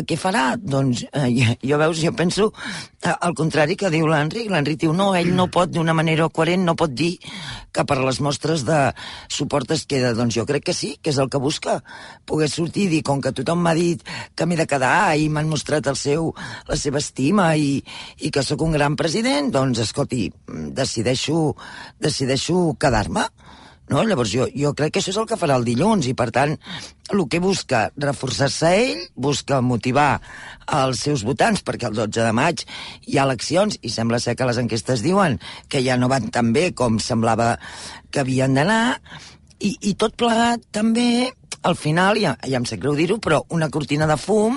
què farà? Doncs jo penso al contrari que diu l'Enric. L'Enric diu no, ell no pot d'una manera coherent, no pot dir que per les mostres de suport es queda. Doncs jo crec que sí, que és el que busca, poder sortir i dir, com que tothom m'ha dit que m'he de quedar i m'han mostrat la seva estima i que sóc un gran president, doncs escolti, decideixo quedar-me. No? Llavors jo crec que això és el que farà el dilluns i per tant el que busca reforçar-se ell, busca motivar els seus votants perquè el 12 de maig hi ha eleccions i sembla ser que les enquestes diuen que ja no van tan bé com semblava que havien d'anar i tot plegat també al final, ja em sap greu dir-ho, però una cortina de fum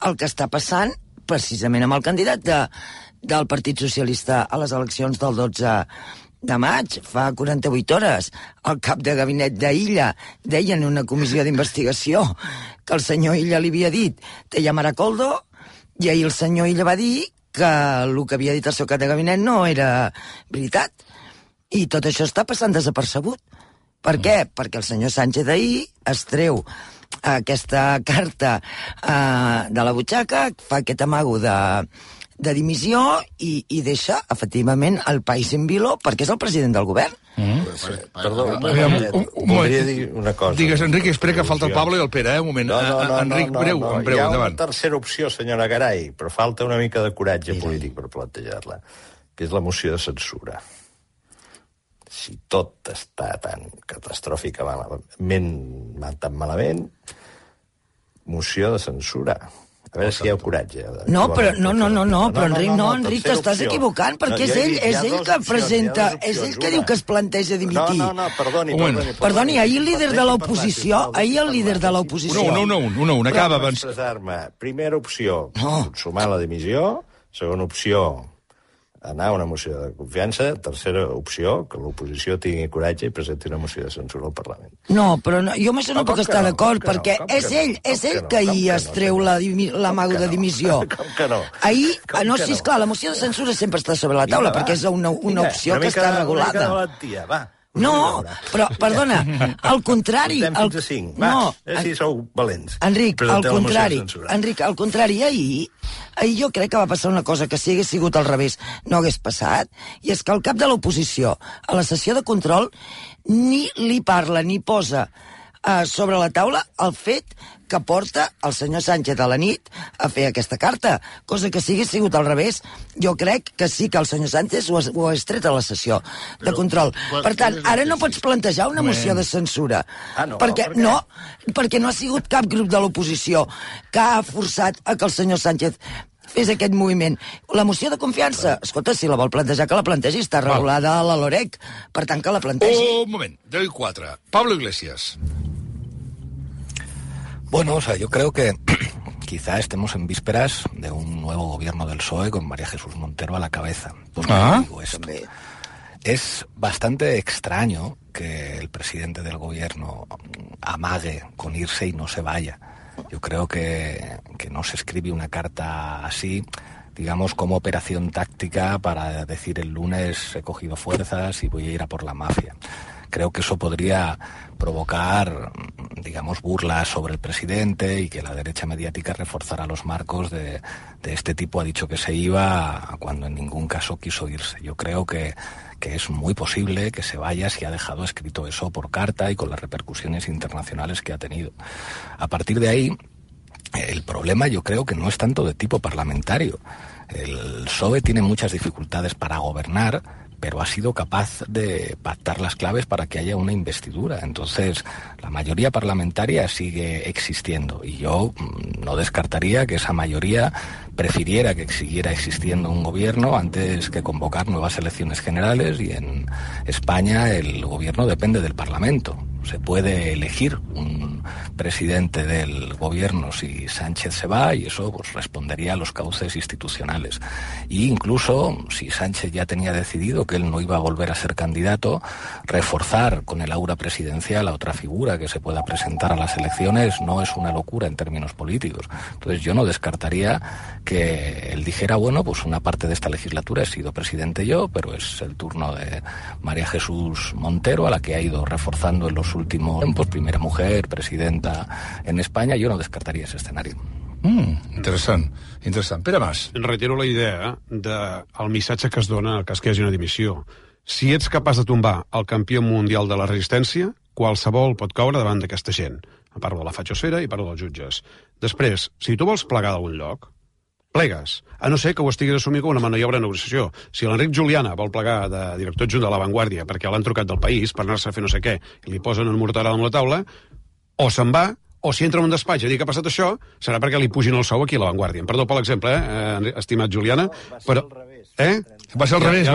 el que està passant precisament amb el candidat del Partit Socialista a les eleccions del 12 de maig, fa 48 hores, el cap de gabinet d'Illa deia en una comissió d'investigació que el senyor Illa li havia dit te llamarà Coldo, i ahir el senyor Illa va dir que el que havia dit el seu cap de gabinet no era veritat. I tot això està passant desapercebut. Per què? Perquè el senyor Sánchez ahir es treu aquesta carta de la butxaca, fa aquest amago de dimissió i deixa, efectivament, el país en vilo perquè és el president del govern. Perdó, voldria dir una cosa. Digues, Enric, espera que falta el Pablo i el Pere, un moment. Enric, breu, hi ha una tercera opció, senyora Garay, però falta una mica de coratge polític per plantejar-la, que és la moció de censura. Si tot està tan catastròficament tan malament, moció de censura. A veure si hi ha coratge. No, però Enric, t'estàs equivocant, perquè és ell que presenta, és ell que diu que es planteja dimitir. No, perdoni. Perdoni, ahir el líder de l'oposició, Una, acaba abans. Primera opció, consumar la dimissió. Segona opció, anar a una moció de confiança. Tercera opció, que l'oposició tingui coratge i presenti una moció de censura al Parlament. No, però jo amb això no puc estar d'acord, perquè és ell que ahir es treu l'amago de dimissió. Com que no? Ahir, sí, esclar, la moció de censura sempre està sobre la taula, perquè és una opció que està regulada. Una mica de valentia, va. No, però, perdona, al contrari... Fins a 5, va, si sou valents. Enric, al contrari, ahir jo crec que va passar una cosa que si hagués sigut al revés no hagués passat, i és que el cap de l'oposició a la sessió de control ni li parla ni posa sobre la taula el fet que porta el senyor Sánchez a la nit a fer aquesta carta, cosa que si hagués sigut al revés, jo crec que sí que el senyor Sánchez ho ha tret a la sessió de control. Per tant, ara no pots plantejar una moció de censura, perquè no ha sigut cap grup de l'oposició que ha forçat a que el senyor Sánchez fes aquest moviment. La moció de confiança, escolta, si la vol plantejar, que la plantegi, està regulada a la LOREC, per tant que la plantegi. Un moment, 10 i 4. Pablo Iglesias. Bueno, yo creo que quizá estemos en vísperas de un nuevo gobierno del PSOE con María Jesús Montero a la cabeza. ¿Por qué digo esto? Es bastante extraño que el presidente del gobierno amague con irse y no se vaya. Yo creo que no se escribe una carta así, digamos, como operación táctica para decir el lunes he cogido fuerzas y voy a ir a por la mafia. Creo que eso podría provocar, digamos, burlas sobre el presidente y que la derecha mediática reforzara los marcos de este tipo ha dicho que se iba cuando en ningún caso quiso irse. Yo creo que es muy posible que se vaya si ha dejado escrito eso por carta y con las repercusiones internacionales que ha tenido. A partir de ahí, el problema yo creo que no es tanto de tipo parlamentario. El PSOE tiene muchas dificultades para gobernar, pero ha sido capaz de pactar las claves para que haya una investidura. Entonces, la mayoría parlamentaria sigue existiendo y yo no descartaría que esa mayoría prefiriera que siguiera existiendo un gobierno antes que convocar nuevas elecciones generales, y en España el gobierno depende del Parlamento. Se puede elegir un presidente del gobierno si Sánchez se va, y eso pues respondería a los cauces institucionales. Y incluso, si Sánchez ya tenía decidido que él no iba a volver a ser candidato, reforzar con el aura presidencial a otra figura que se pueda presentar a las elecciones no es una locura en términos políticos. Entonces yo no descartaría que él dijera, bueno, pues una parte de esta legislatura he sido presidente yo, pero es el turno de María Jesús Montero, a la que ha ido reforzando en los últimos tiempos, primera mujer, presidenta en España. Yo no descartaria ese escenari. Interessant. Pere Mas. Reitero la idea del missatge que es dona en el cas que hi hagi una dimissió. Si ets capaç de tombar el campió mundial de la resistència, qualsevol pot caure davant d'aquesta gent. Parlo de la fatxosfera i parlo dels jutges. Després, si tu vols plegar d'algun lloc, plegues, a no ser que ho estiguis assumint com una maniobra de negociació. Si l'Enric Juliana vol plegar de director adjunt de La Vanguardia perquè l'han trucat del País per anar-se a fer no sé què i li posen un morterada amb la taula, o se'n va, o si entra en un despatx i diu que ha passat això, serà perquè li pugin el sou aquí a La Vanguardia. Perdó per l'exemple, estimat Juliana, però... Va ser al revés.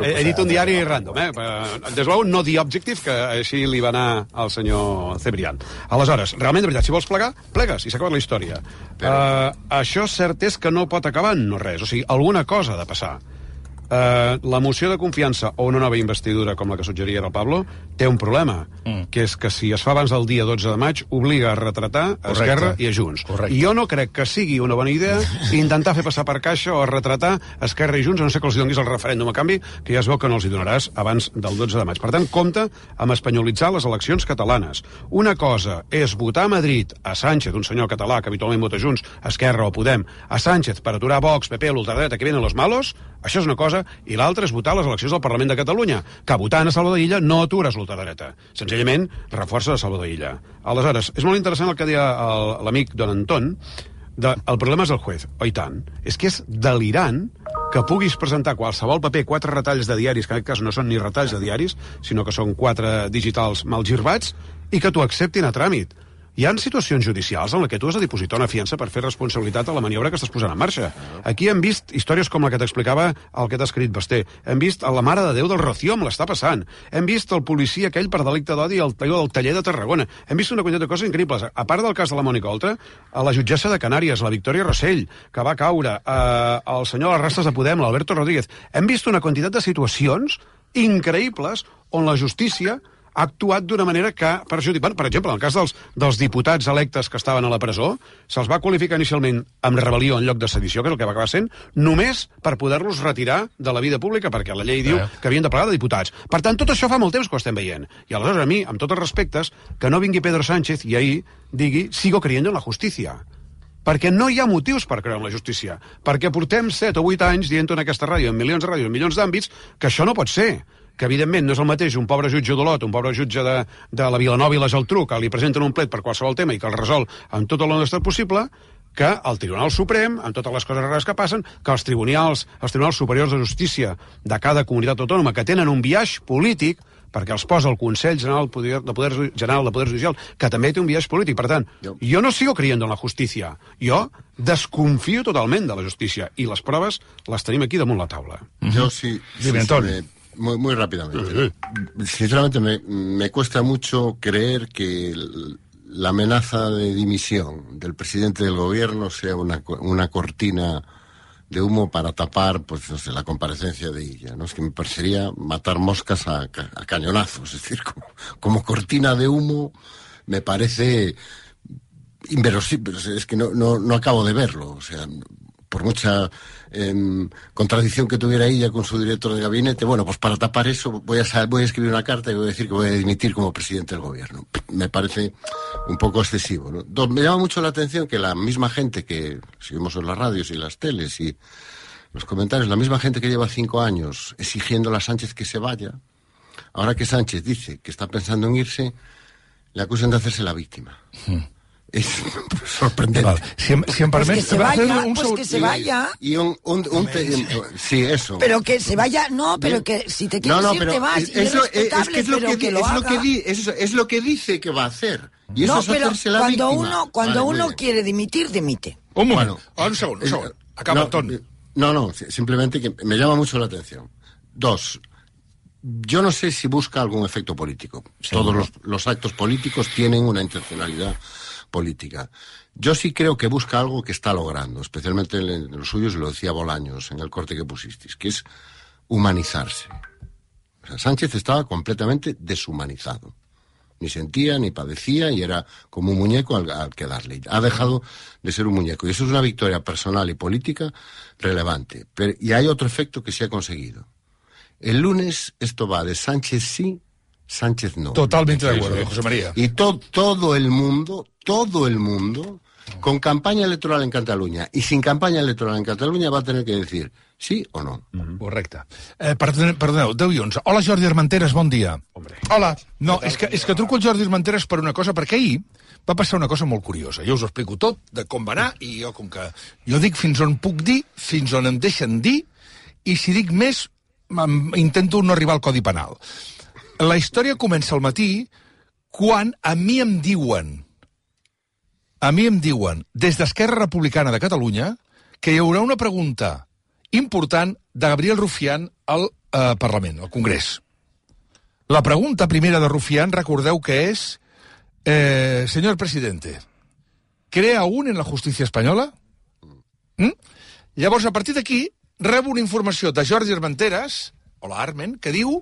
He dit un diari random, Des de no The Objective, que així li va anar al senyor Cebrián. Aleshores, realment, de veritat, si vols plegar, plegues, i s'ha acabat la història. Això cert és que no pot acabar en no res, o sigui, alguna cosa ha de passar. La moció de confiança o una nova investidura, com la que suggeria el Pablo, té un problema, que és que si es fa abans del dia 12 de maig, obliga a retratar a Esquerra i a Junts. I jo no crec que sigui una bona idea intentar fer passar per caixa o retratar Esquerra i Junts, a no ser que els donis el referèndum a canvi, que ja es veu que no els hi donaràs abans del 12 de maig. Per tant, compte amb espanyolitzar les eleccions catalanes. Una cosa és votar a Madrid a Sánchez, un senyor català que habitualment vota Junts, Esquerra o Podem, a Sánchez per aturar Vox, PP, l'ultradreta, que vienen los malos, això és una cosa, i l'altra és votar a les eleccions del Parlament de Catalunya, que votant a Salvador Illa no atures l'ultradreta. Senzillament, reforça de Salvador Illa. Aleshores, és molt interessant el que deia l'amic Don Anton, el problema és el juez. Oh, i tant. És que és delirant que puguis presentar qualsevol paper, 4 retalls de diaris, que en aquest cas no són ni retalls de diaris, sinó que són 4 digitals mal girbats, i que t'ho acceptin a tràmit. Hi ha situacions judicials en què tu has de dipositar una fiança per fer responsabilitat a la maniobra que estàs posant en marxa. Aquí hem vist històries com la que t'explicava el que t'ha escrit Basté. Hem vist a la Mare de Déu del Rocío, amb l'està passant. Hem vist el policia aquell per delicte d'odi al del taller de Tarragona. Hem vist una quantitat de coses increïbles. A part del cas de la Mònica Oltra, a la jutgessa de Canàries, la Victòria Rossell, que va caure, el senyor de les Rastes de Podem, l'Alberto Rodríguez. Hem vist una quantitat de situacions increïbles on la justícia ha actuat d'una manera que perjudica. Per exemple, en el cas dels diputats electes que estaven a la presó, se'ls va qualificar inicialment amb rebel·lió en lloc de sedició, que és el que va acabar sent, només per poder-los retirar de la vida pública, perquè la llei diu que havien de plegar de diputats. Per tant, tot això fa molt temps que ho estem veient. I aleshores, a mi, amb tots els respectes, que no vingui Pedro Sánchez i ahir digui «sigo creyendo en la justicia». Perquè no hi ha motius per creure en la justícia. Perquè portem 7 o 8 anys dient en aquesta ràdio, en milions de ràdios, en milions d'àmbits, que això no pot ser. Que evidentment no és el mateix un pobre jutge d'Olot, un pobre jutge de la Vilanova i la Geltrú, que li presenten un plet per qualsevol tema i que el resol amb tota l'honestedat possible, que el Tribunal Suprem, amb totes les coses rares que passen, que els tribunals superiors de justícia de cada comunitat autònoma, que tenen un biaix polític, perquè els posa el Consell General de Poder Judicial, que també té un biaix polític. Per tant, jo no sigo creyendo en la justícia. Jo desconfio totalment de la justícia. I les proves les tenim aquí damunt la taula. Jo sí. Muy rápidamente. Sinceramente me cuesta mucho creer que la amenaza de dimisión del presidente del gobierno sea una cortina de humo para tapar, pues no sé, la comparecencia de ella, ¿no? Es que me parecería matar moscas a cañonazos, es decir, como cortina de humo me parece inverosímil, es que no acabo de verlo, o sea, por mucha contradicción que tuviera ella con su director de gabinete, bueno, pues para tapar eso voy a escribir una carta y voy a decir que voy a dimitir como presidente del gobierno. Me parece un poco excesivo, ¿no? Me llama mucho la atención que la misma gente que seguimos en las radios y las teles y los comentarios, la misma gente que lleva 5 años exigiéndole a Sánchez que se vaya, ahora que Sánchez dice que está pensando en irse, le acusan de hacerse la víctima. Es sorprendente. Vale. Si em permet... Pues que se vaya. Sí, eso. Pero que se vaya, no, pero que si te quieres ir te vas. Es lo que dice que va a hacer. Y eso es hacerse la víctima. Cuando uno quiere dimitir, dimite. Un moment, un segon. Acaba, Anton. No, simplemente que me llama mucho la atención. 2. yo no sé si busca algún efecto político. Todos los actos políticos tienen una intencionalidad política. Yo sí creo que busca algo que está logrando, especialmente en los suyos, lo decía Bolaños en el corte que pusisteis, que es humanizarse. O sea, Sánchez estaba completamente deshumanizado. Ni sentía, ni padecía, y era como un muñeco al que darle. Ha dejado de ser un muñeco. Y eso es una victoria personal y política relevante. Y hay otro efecto que se ha conseguido. El lunes esto va de Sánchez sí, Sánchez no. Totalmente de acuerdo, José María. Y todo el mundo, con campaña electoral en Catalunya y sin campanya electoral en Catalunya, va a tener que decir sí o no. Correcte. Perdoneu, 10 i 11. Hola, Jordi Armenteres, bon dia. Hola. No, és que truco el Jordi Armenteres per una cosa, perquè ahir va passar una cosa molt curiosa. Jo us ho explico tot, de com va anar, i jo, com que jo dic fins on puc dir, fins on em deixen dir, i si dic més, intento no arribar al Codi Penal. La història comença al matí quan a mi em diuen, des d'Esquerra Republicana de Catalunya, que hi haurà una pregunta important de Gabriel Rufián al Parlament, al Congrés. La pregunta primera de Rufián, recordeu que és, señor presidente, ¿cree aún en la justicia espanyola? Llavors, a partir d'aquí, rebo una informació de Jordi Armenteres, hola Armen, que diu...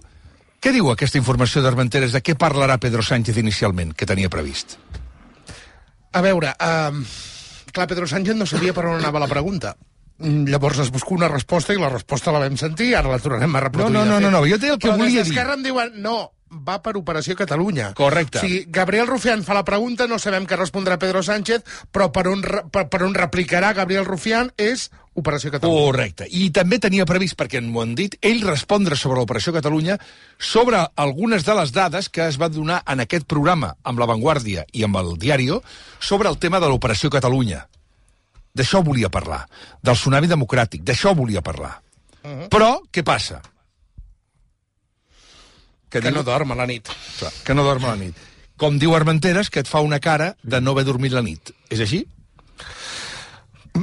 Què diu aquesta informació d'Armenteres? De què parlarà Pedro Sánchez inicialment, que tenia previst? A veure, clar, Pedro Sánchez no sabia per on anava la pregunta. Llavors es busca una resposta i la resposta la vam sentir, ara la tornarem a reproduir. No, jo té el que volia dir. Però des d'Esquerra em diuen, no, va per Operació Catalunya. Correcte. O sigui, Gabriel Rufián fa la pregunta, no sabem què respondrà Pedro Sánchez, però per on replicarà Gabriel Rufián és Operació Catalunya. Correcte. I també tenia previst, perquè m'ho han dit, ell respondre sobre l'Operació Catalunya, sobre algunes de les dades que es van donar en aquest programa, amb La Vanguardia i amb el Diario, sobre el tema de l'Operació Catalunya. D'això volia parlar, del tsunami democràtic, d'això volia parlar. Però, què passa? Que no dorm a la nit. Clar, que no dorm a la nit. Com diu Armenteres, que et fa una cara de no haver dormit la nit. És així?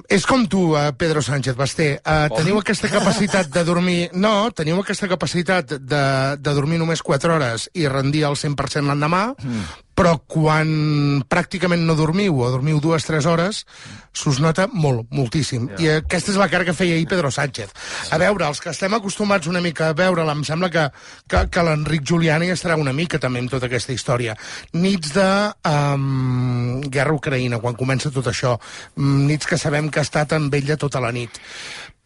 És com tu, Pedro Sánchez, Basté. Teniu aquesta capacitat de dormir... No, teniu aquesta capacitat de dormir només 4 hores i rendir al 100% l'endemà, però quan pràcticament no dormiu o dormiu 2-3 hores, s'us nota molt, moltíssim. I aquesta és la cara que feia ahir Pedro Sánchez. A veure, els que estem acostumats una mica a veure-la, em sembla que l'Enric Giuliani estarà una mica també amb tota aquesta història. Nits de guerra a Ucraïna, quan comença tot això, nits que sabem que ha estat amb ella tota la nit.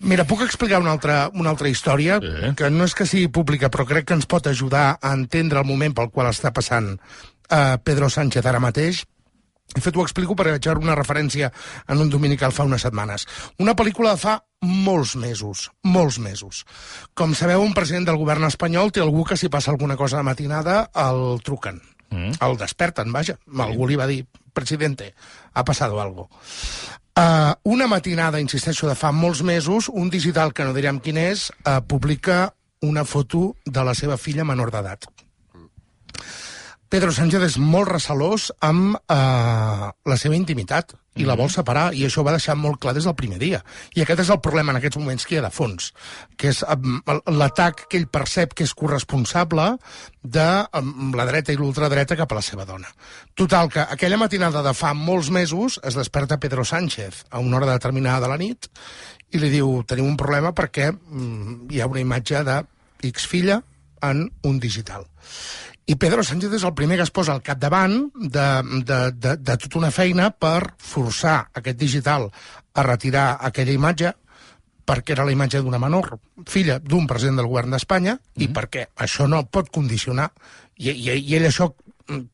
Mira, puc explicar una altra història, que no és que sigui pública, però crec que ens pot ajudar a entendre el moment pel qual està passant Pedro Sánchez ara mateix. De fet, ho explico perquè vaig veure una referència en un dominical fa unes setmanes. Una pel·lícula de fa molts mesos. Com sabeu, un president del govern espanyol té algú que si passa alguna cosa de matinada el truquen. El desperten, vaja. Algú li va dir, presidente, ha passado algo. Una matinada, insisteixo, de fa molts mesos, un digital que no direm quin és, publica una foto de la seva filla menor d'edat. Pedro Sánchez és molt recelós amb la seva intimitat i la vol separar, i això ho va deixar molt clar des del primer dia. I aquest és el problema en aquests moments que hi ha de fons, que és l'atac que ell percep que és corresponsable de la dreta i l'ultradreta cap a la seva dona. Total, que aquella matinada de fa molts mesos es desperta Pedro Sánchez a una hora determinada de la nit i li diu, tenim un problema perquè hi ha una imatge de X filla en un digital. I Pedro Sánchez és el primer que es posa al capdavant de tota una feina per forçar aquest digital a retirar aquella imatge, perquè era la imatge d'una menor, filla d'un president del govern d'Espanya, i perquè això no pot condicionar, i ell això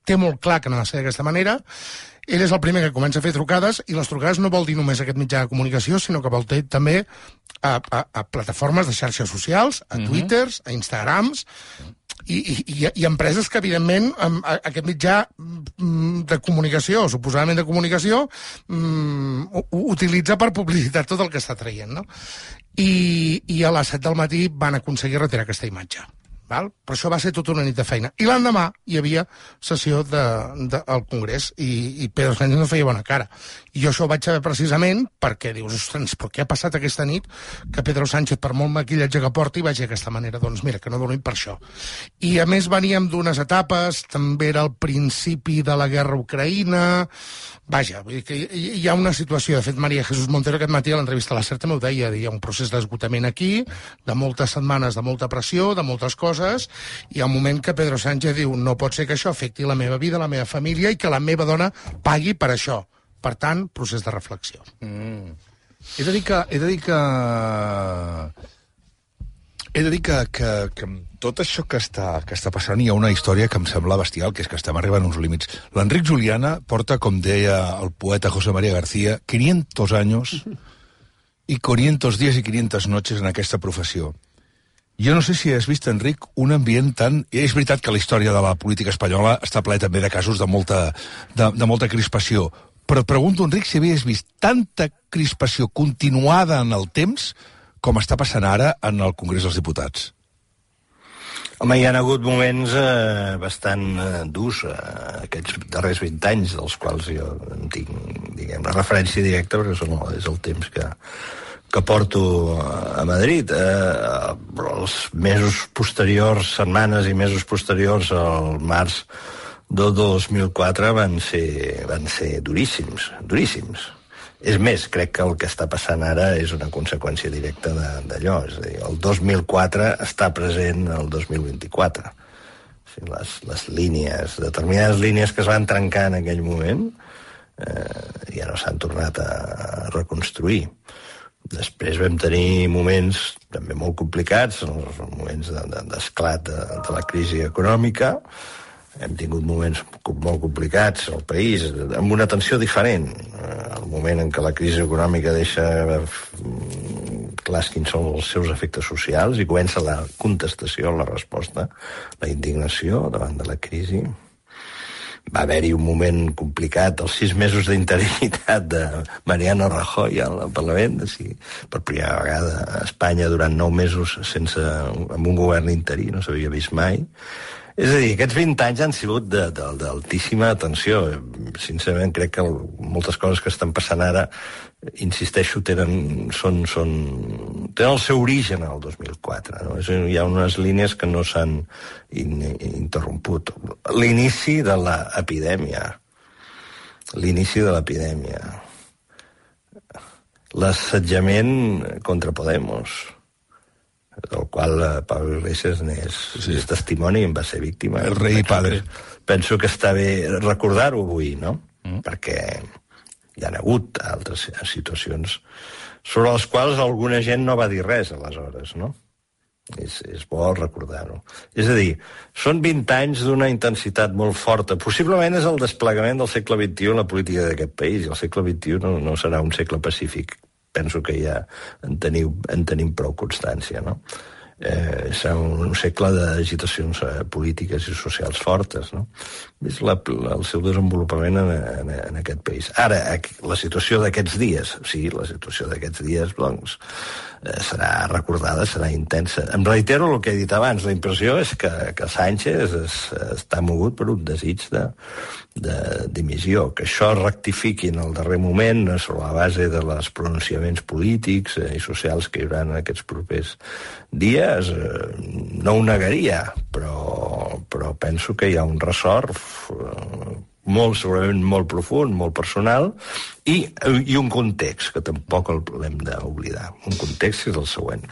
té molt clar que no ha de ser d'aquesta manera. Ell és el primer que comença a fer trucades, i les trucades no vol dir només aquest mitjà de comunicació, sinó que vol dir també a plataformes de xarxes socials, a Twitters, a Instagrams, i empreses que, evidentment, aquest mitjà de comunicació, suposadament de comunicació, utilitza per publicitar tot el que està traient, no? I a les 7 del matí van aconseguir retirar aquesta imatge. Val? Però això va ser tota una nit de feina. I l'endemà hi havia sessió al Congrés i Pedro Sánchez no feia bona cara. I jo això ho vaig saber precisament perquè dius, ostres, però què ha passat aquesta nit que Pedro Sánchez, per molt maquillatge que porti, vagi d'aquesta manera? Doncs mira, que no dormim per això. I a més veníem d'unes etapes, també era el principi de la guerra a Ucraïna. Vaja, vull dir que hi ha una situació. De fet, María Jesús Montero aquest matí a l'entrevista a la Certa m'ho deia, hi ha un procés d'esgotament aquí, de moltes setmanes, de molta pressió, de moltes coses. Hi ha un moment que Pedro Sánchez diu no pot ser que això afecti la meva vida, la meva família i que la meva dona pagui per això. Per tant, procés de reflexió. He de dir que tot això que està passant hi ha una història que em sembla bestial, que és que estem arribant a uns límits. L'Enric Juliana porta, com deia el poeta José María García, 500 años y 500 días y 500 noches en aquesta professió. Jo no sé si has vist, Enric, un ambient tan... És veritat que la història de la política espanyola està ple també de casos de molta crispació, però et pregunto, Enric, si havies vist tanta crispació continuada en el temps com està passant ara en el Congrés dels Diputats. Home, hi ha hagut moments bastant durs aquests darrers 20 anys, dels quals jo en tinc, diguem, la referència directa, perquè és el temps que porto a Madrid. Els mesos posteriors, setmanes i mesos posteriors al març del 2004 van ser duríssims. És més, crec que el que està passant ara és una conseqüència directa d'allò. És a dir, el 2004 està present el 2024. O sigui, les línies, determinades línies que es van trencar en aquell moment ja no s'han tornat a reconstruir. Després vam tenir moments també molt complicats, els moments d'esclat de la crisi econòmica. Hem tingut moments molt complicats al país, amb una tensió diferent. El moment en què la crisi econòmica deixa clars quins són els seus efectes socials i comença la contestació, la resposta, la indignació davant de la crisi. Va haver-hi un moment complicat, els 6 mesos d'interinitat de Mariano Rajoy al Parlament, per primera vegada a Espanya durant 9 mesos amb un govern interí, no s'havia vist mai. És a dir, aquests 20 anys han sigut d'altíssima tensió. Sincerament, crec que moltes coses que estan passant ara, insisteixo, tenen el seu origen al 2004. No? Hi ha unes línies que no s'han interromput. L'inici de l'epidèmia. L'assetjament contra Podemos, del qual Pablo Iglesias és testimoni i en va ser víctima. El rei padre. Penso que està bé recordar-ho avui, no? Perquè hi ha hagut altres situacions sobre les quals alguna gent no va dir res aleshores, no? És bo recordar-ho. És a dir, són 20 anys d'una intensitat molt forta. Possiblement és el desplegament del segle XXI en la política d'aquest país, i el segle XXI no serà un segle pacífic. Penso que ja en tenim prou constància, no? Serà un segle d'agitacions polítiques i socials fortes, no? És el seu desenvolupament en aquest país. Ara, la situació d'aquests dies, doncs, serà recordada, serà intensa. Em reitero el que he dit abans, la impressió és que Sánchez està mogut per un desig de dimissió, que això rectifiqui en el darrer moment sobre la base de les pronunciaments polítics i socials que hi haurà en aquests propers dies, no ho negaria, però penso que hi ha un ressort segurament molt profund, molt personal, i un context que tampoc l'hem d'oblidar. Un context és el següent.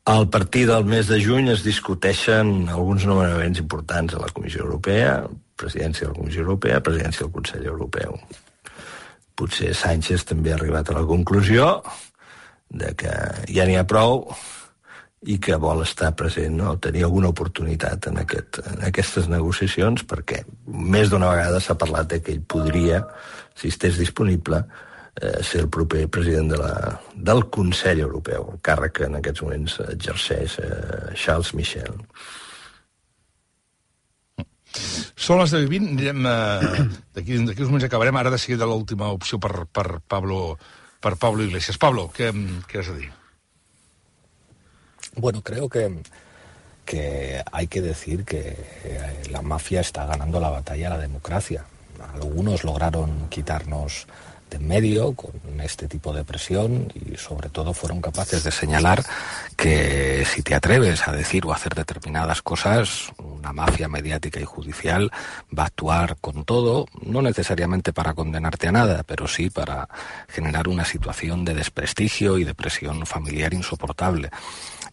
A partir del mes de juny es discuteixen alguns nomenaments importants a la Comissió Europea, presidència de la Comissió Europea, presidència del Consell Europeu. Potser Sánchez també ha arribat a la conclusió de que ja n'hi ha prou i que vol estar present, no? Tenir alguna oportunitat en aquestes negociacions, perquè més d'una vegada s'ha parlat de que ell podria, si estigués disponible, ser el proper president del Consell Europeu, el càrrec que en aquests moments exerceix Charles Michel. Són les 10:20, d'aquí uns moments acabarem, ara de seguida l'última opció per Pablo Iglesias. Pablo, què has de dir? Bueno, creo que hay que decir que la mafia está ganando la batalla a la democracia. Algunos lograron quitarnos de en medio con este tipo de presión y sobre todo fueron capaces de señalar que si te atreves a decir o a hacer determinadas cosas, una mafia mediática y judicial va a actuar con todo, no necesariamente para condenarte a nada, pero sí para generar una situación de desprestigio y de presión familiar insoportable.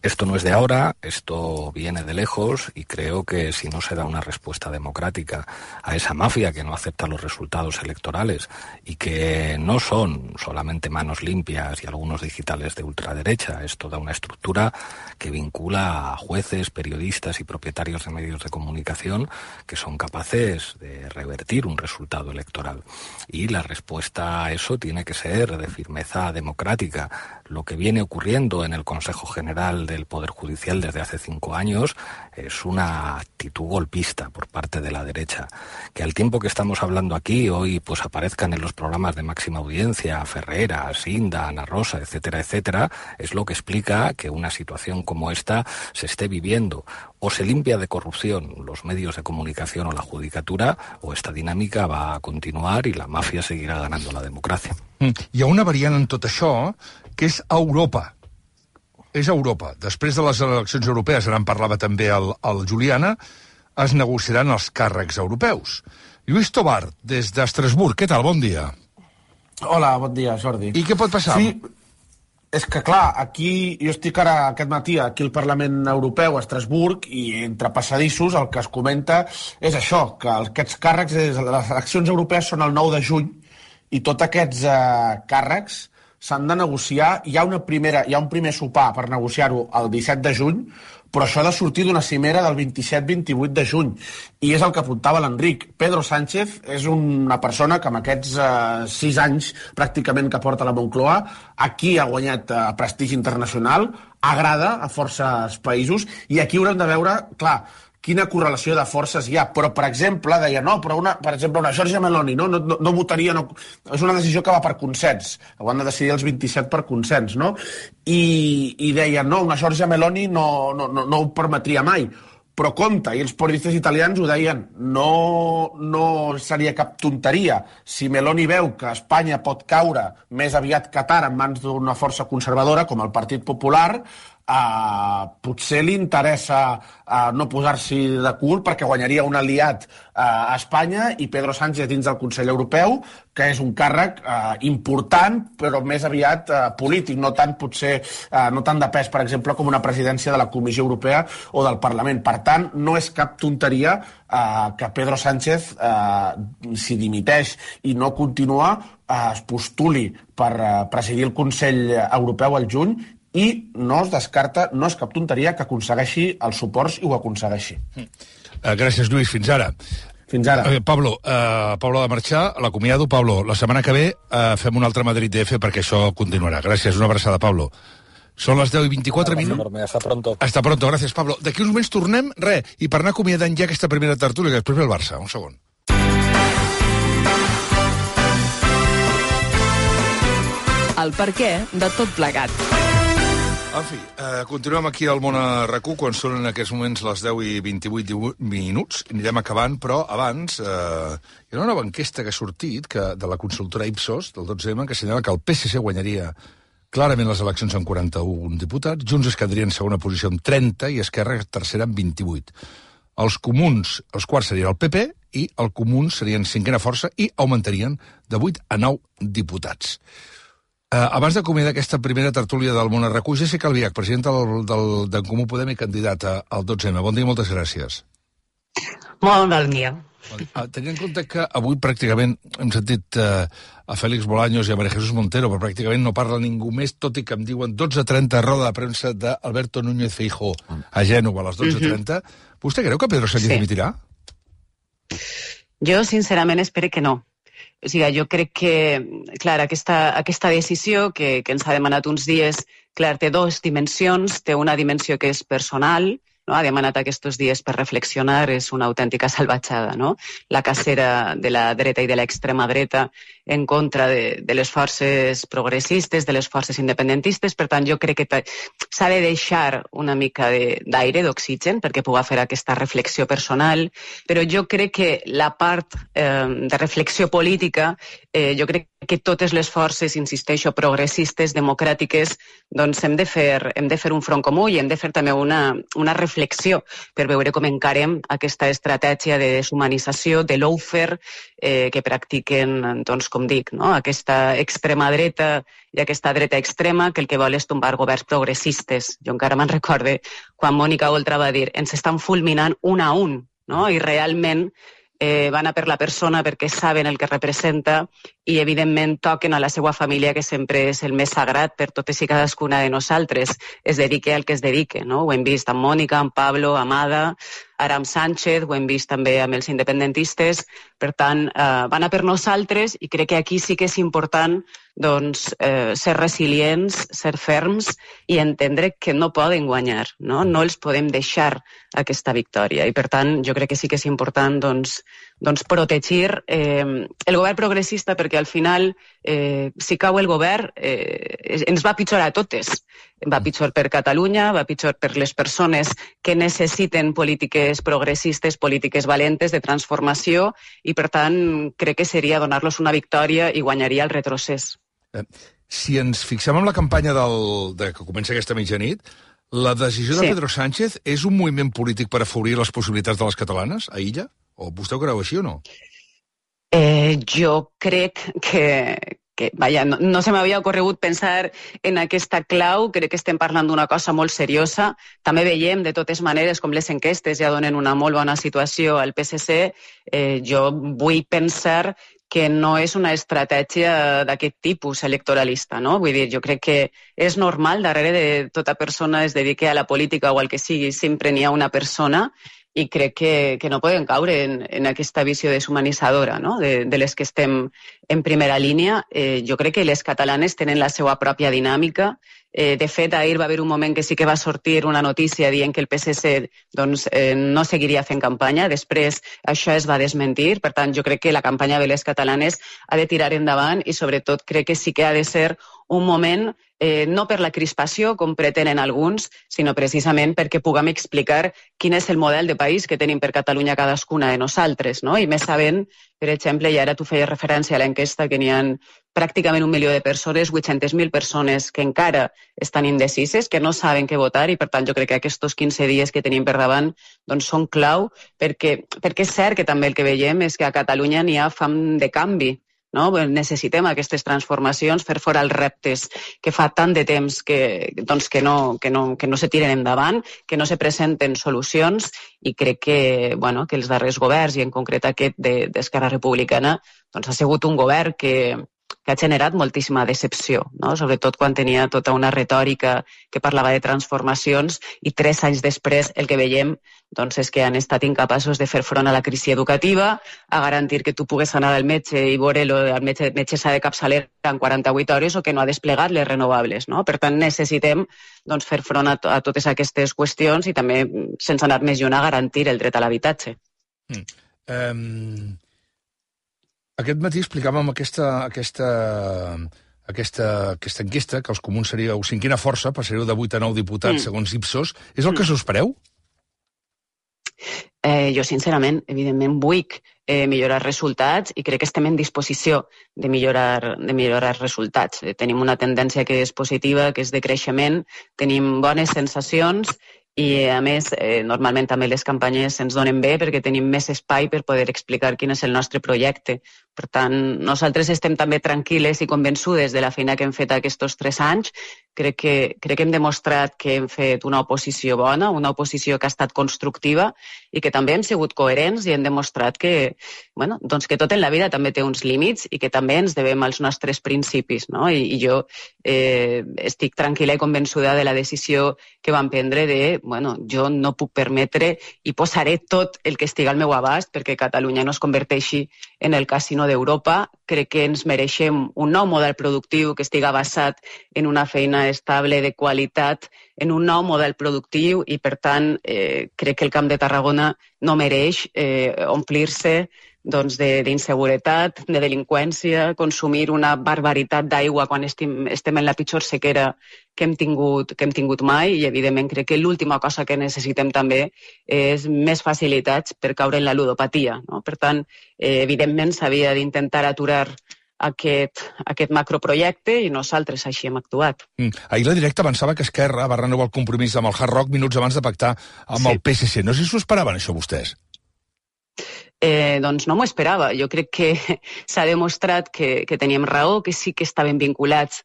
Esto no es de ahora, esto viene de lejos y creo que si no se da una respuesta democrática a esa mafia que no acepta los resultados electorales y que no son solamente manos limpias y algunos digitales de ultraderecha, es toda una estructura que vincula a jueces, periodistas y propietarios de medios de comunicación que son capaces de revertir un resultado electoral. Y la respuesta a eso tiene que ser de firmeza democrática. Lo que viene ocurriendo en el Consejo General del Poder Judicial desde hace 5 años es una actitud golpista por parte de la derecha. Que al tiempo que estamos hablando aquí, hoy pues aparezcan en los programas de máxima audiencia Ferreras, Inda, Ana Rosa, etcétera, etcétera, es lo que explica que una situación como esta se esté viviendo. O se limpia de corrupción los medios de comunicación o la judicatura, o esta dinámica va a continuar y la mafia seguirà ganando la democràcia. Hi ha una variant en tot això, que és Europa. És Europa. Després de les eleccions europees, ara en parlava també el Juliana, es negociaran els càrrecs europeus. Lluís Tobar, des d'Estrasburg, què tal? Bon dia. Hola, bon dia, Jordi. I què pot passar? Sí, és que, clar, aquí, jo estic ara aquest matí aquí al Parlament Europeu, a Estrasburg, i entre passadissos el que es comenta és això, que aquests càrrecs, les eleccions europees són el 9 de juny, i tots aquests càrrecs s'han de negociar. Hi ha un primer sopar per negociar-ho el 17 de juny, però això ha de sortir d'una cimera del 27-28 de juny. I és el que apuntava l'Enric. Pedro Sánchez és una persona que amb aquests 6 anys pràcticament que porta la Moncloa, aquí ha guanyat prestigi internacional, agrada a forces països, i aquí haurem de veure, clar, quina correlació de forces hi ha. Però, per exemple, deia, no, però per exemple, una Giorgia Meloni no votaria, és una decisió que va per consens, ho han de decidir els 27 per consens, no? I deia, no, una Giorgia Meloni no ho permetria mai. Però compte, i els periodistes italians ho deien, no seria cap tonteria. Si Meloni veu que Espanya pot caure més aviat que tard en mans d'una força conservadora com el Partit Popular, potser li interessa no posar-s'hi de cul perquè guanyaria un aliat a Espanya i Pedro Sánchez dins del Consell Europeu, que és un càrrec important però més aviat polític, no tant de pes, per exemple, com una presidència de la Comissió Europea o del Parlament. Per tant, no és cap tonteria que Pedro Sánchez, si dimiteix i no continua, es postuli per presidir el Consell Europeu al juny, i no es descarta, no és cap tonteria que aconsegueixi els suports i ho aconsegueixi. Gràcies, Lluís. Fins ara. Fins ara. Pablo ha de marxar, l'acomiado. Pablo, la setmana que ve fem un altre Madrid DF perquè això continuarà. Gràcies, una abraçada, Pablo. Són les 10:24 minuts. Hasta pronto. Hasta pronto, gràcies, Pablo. D'aquí uns moments tornem, i per anar acomiadant ja aquesta primera tertúlia, que després ve el Barça. Un segon. El perquè de tot plegat. En fi, continuem aquí al Món a RAC1 quan són en aquests moments les 10:28 minuts. Anirem acabant, però abans hi ha una nova enquesta que ha sortit de la consultora Ipsos del 12M que assenyala que el PSC guanyaria clarament les eleccions amb 41 diputats, Junts es quedaria en segona posició amb 30 i Esquerra tercera amb 28. Els comuns, els quarts serien el PP i el Comuns serien cinquena força i augmentarien de 8 a 9 diputats. Abans d'acomiadar aquesta primera tertúlia del Món a RAC1, Jessica Albiach, presidenta d'en Comú Podem i candidata al 12M. Bon dia i moltes gràcies. Molt bon dia. Tenint en compte que avui pràcticament hem sentit a Félix Bolaños i a María Jesús Montero, però pràcticament no parla ningú més, tot i que em diuen 12:30 roda de premsa d'Alberto Núñez Feijóo a Gènova a les 12:30. ¿Vostè creu que Pedro Sánchez dimitirà? Jo, sincerament, espero que no. O sigui, jo crec que, clar, aquesta decisió que ens ha demanat uns dies, clar, té 2 dimensions. Té una dimensió que és personal, no? Ha demanat aquests dies per reflexionar, és una autèntica salvatjada, no? La cacera de la dreta i de l'extrema dreta en contra de les forces progressistes, de les forces independentistes. Per tant, jo crec que s'ha de deixar una mica d'aire, d'oxigen, perquè puga fer aquesta reflexió personal, però jo crec que la part de reflexió política, jo crec que totes les forces, insisteixo, progressistes, democràtiques, doncs hem de fer un front comú i hem de fer també una reflexió per veure com encarem aquesta estratègia de deshumanització, de lawfare, que practiquen, doncs, com dic, no? Aquesta extrema dreta i aquesta dreta extrema que el que vol és tombar governs progressistes. Jo encara me'n recorde quan Mònica Oltra va dir ens estan fulminant un a un, no? I realment van a per la persona perquè saben el que representa i, evidentment, toquen a la seva família, que sempre és el més sagrat per totes i cadascuna de nosaltres. Es dedique al que es dedique, no? Ho hem vist amb Mònica, amb Pablo, amb Ada, ara amb Sánchez, ho hem vist també amb els independentistes. Per tant, van a per nosaltres i crec que aquí sí que és important ser resilients, ser ferms i entendre que no poden guanyar, no? No els podem deixar aquesta victòria. I, per tant, jo crec que sí que és important protegir el govern progressista, perquè al final, si cau el govern, ens va pitjor a totes. Va pitjor per Catalunya, va pitjor per les persones que necessiten polítiques progressistes, polítiques valentes de transformació, i per tant crec que seria donar-los una victòria i guanyaria el retrocés. Si ens fixem en la campanya que comença aquesta mitjanit, la decisió de Pedro Sánchez és un moviment polític per afavorir les possibilitats de les catalanes a Illa? O vostè ho creu així o no? Jo crec que no se m'havia ocorregut pensar en aquesta clau. Crec que estem parlant d'una cosa molt seriosa. També veiem, de totes maneres, com les enquestes ja donen una molt bona situació al PSC. Jo vull pensar que no és una estratègia d'aquest tipus electoralista, no? Vull dir, jo crec que és normal, darrere de tota persona es dediqui a la política o al que sigui, sempre n'hi ha una persona, i crec que no podem caure en aquesta visió deshumanitzadora, no? De les que estem en primera línia. Jo crec que les catalanes tenen la seva pròpia dinàmica. De fet, ahir va haver un moment que sí que va sortir una notícia dient que el PSC no seguiria fent campanya. Després això es va desmentir. Per tant, jo crec que la campanya de les catalanes ha de tirar endavant i, sobretot, crec que sí que ha de ser un moment no per la crispació, com pretenen alguns, sinó precisament perquè puguem explicar quin és el model de país que tenim per Catalunya cadascuna de nosaltres, no? I més sabent, per exemple, i ara tu feies referència a l'enquesta, que n'hi ha pràcticament 1 milió de persones, 800.000 persones que encara estan indecises, que no saben què votar, i per tant jo crec que aquests 15 dies que tenim per davant són clau, perquè és cert que també el que veiem és que a Catalunya n'hi ha fam de canvi. No? Necessitem aquestes transformacions, fer fora els reptes que fa tant de temps que no se tiren endavant, que no se presenten solucions, i crec que els darrers governs, i en concret aquest d'Esquerra Republicana, ha sigut un govern que ha generat moltíssima decepció, no? Sobretot quan tenia tota una retòrica que parlava de transformacions, i 3 anys després el que veiem és que han estat incapaços de fer front a la crisi educativa, a garantir que tu pugues anar al metge i veure el metge s'ha de capçalera en 48 hores, o que no ha desplegat les renovables, no? Per tant, necessitem fer front a totes aquestes qüestions i també, sense anar més lluny, a garantir el dret a l'habitatge. Aquest matí explicàvem aquesta enquesta, que els comuns seríeu 5a força, passaríeu de 8 a 9 diputats, segons Ipsos. És el que us espereu? Jo, sincerament, evidentment, vull millorar resultats, i crec que estem en disposició de millorar resultats. Tenim una tendència que és positiva, que és de creixement, tenim bones sensacions, i, a més, normalment també les campanyes ens donen bé perquè tenim més espai per poder explicar quin és el nostre projecte. Per tant, nosaltres estem també tranquil·les i convençudes de la feina que hem fet aquests 3 anys. Crec que hem demostrat que hem fet una oposició bona, una oposició que ha estat constructiva, i que també hem sigut coherents i hem demostrat que tot en la vida també té uns límits i que també ens devem als nostres principis, no? I jo estic tranquil·la i convençuda de la decisió que vam prendre de jo no puc permetre i posaré tot el que estigui al meu abast perquè Catalunya no es converteixi en el casino sinó d'Europa. Crec que ens mereixem un nou model productiu que estigui basat en una feina estable, de qualitat, en un nou model productiu i, per tant, crec que el Camp de Tarragona no mereix omplir-se d'inseguretat, de delinqüència, consumir una barbaritat d'aigua quan estem en la pitjor sequera que hem tingut mai i, evidentment, crec que l'última cosa que necessitem també és més facilitats per caure en la ludopatia. Per tant, evidentment, s'havia d'intentar aturar aquest macroprojecte i nosaltres així hem actuat. Ahir la Directa avançava que Esquerra va renovar el compromís amb el Hard Rock minuts abans de pactar amb el PSC. No sé si s'ho esperaven, això, vostès? Doncs no m'ho esperava. Jo crec que s'ha demostrat que teníem raó, que sí que estaven vinculats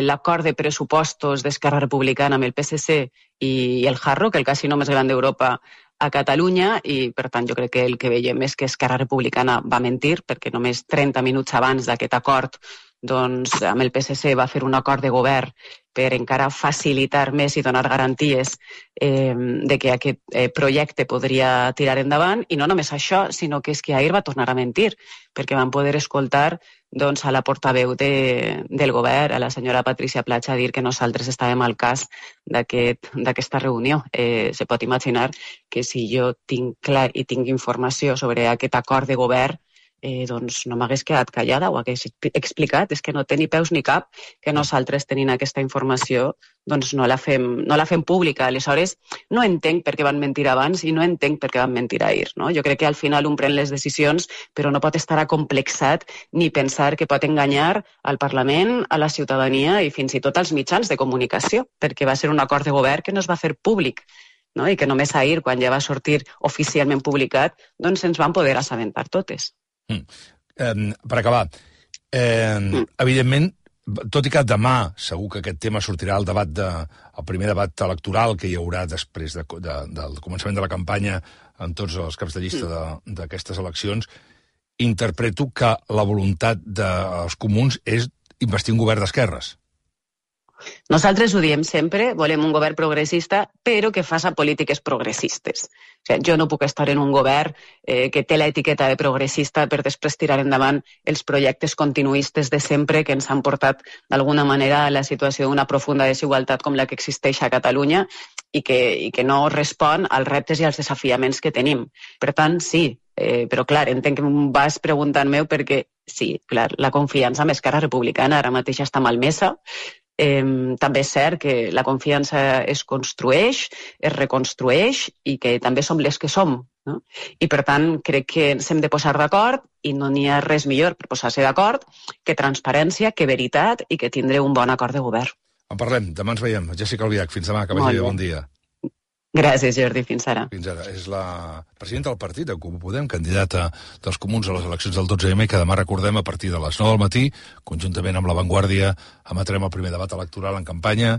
l'acord de pressupostos d'Esquerra Republicana amb el PSC i el Hard Rock, el casino més gran d'Europa, a Catalunya, i per tant jo crec que el que veiem és que Esquerra Republicana va mentir, perquè només 30 minuts abans d'aquest acord amb el PSC va fer un acord de govern per encara facilitar més i donar garanties de que aquest projecte podria tirar endavant, i no només això, sinó que és que ahir va tornar a mentir, perquè van poder escoltar a la portaveu del govern, a la senyora Patricia Platja, dir que nosaltres estàvem al cas d'aquesta reunió. Se pot imaginar que si jo tinc clar i tinc informació sobre aquest acord de govern, doncs no m'hagués quedat callada, ho hagués explicat. És que no té ni peus ni cap que nosaltres, tenint aquesta informació, doncs no la fem pública. Aleshores, no entenc per què van mentir abans i no entenc per què van mentir ahir. Jo crec que al final un pren les decisions, però no pot estar acomplexat ni pensar que pot enganyar al Parlament, a la ciutadania i fins i tot als mitjans de comunicació, perquè va ser un acord de govern que no es va fer públic. I que només ahir, quan ja va sortir oficialment publicat, doncs ens van poder assabentar totes. Per acabar, evidentment, tot i que demà segur que aquest tema sortirà al primer debat electoral que hi haurà després del començament de la campanya en tots els caps de llista d'aquestes eleccions, interpreto que la voluntat dels comuns és investir un govern d'esquerres. Nosaltres ho diem sempre, volem un govern progressista, però que faci polítiques progressistes. Jo no puc estar en un govern que té l'etiqueta de progressista per després tirar endavant els projectes continuistes de sempre que ens han portat d'alguna manera a la situació d'una profunda desigualtat com la que existeix a Catalunya i que no respon als reptes i als desafiaments que tenim. Per tant, sí, però clar, entenc que em vas preguntant-me perquè sí, clar, la confiança amb Esquerra Republicana ara mateix està malmesa. També és cert que la confiança es construeix, es reconstrueix i que també som les que som. I per tant crec que ens hem de posar d'acord i no n'hi ha res millor per posar-se d'acord que transparència, que veritat i que tindré un bon acord de govern. En parlem, demà ens veiem. Jéssica Albiach, fins demà, que vagi bé, bon dia. Gràcies, Jordi. Fins ara. Fins ara. És la presidenta del partit, de Comú Podem, candidata dels comuns a les eleccions del 12M, que demà recordem a partir de les 9 del matí, conjuntament amb La Vanguardia, emetrem el primer debat electoral en campanya,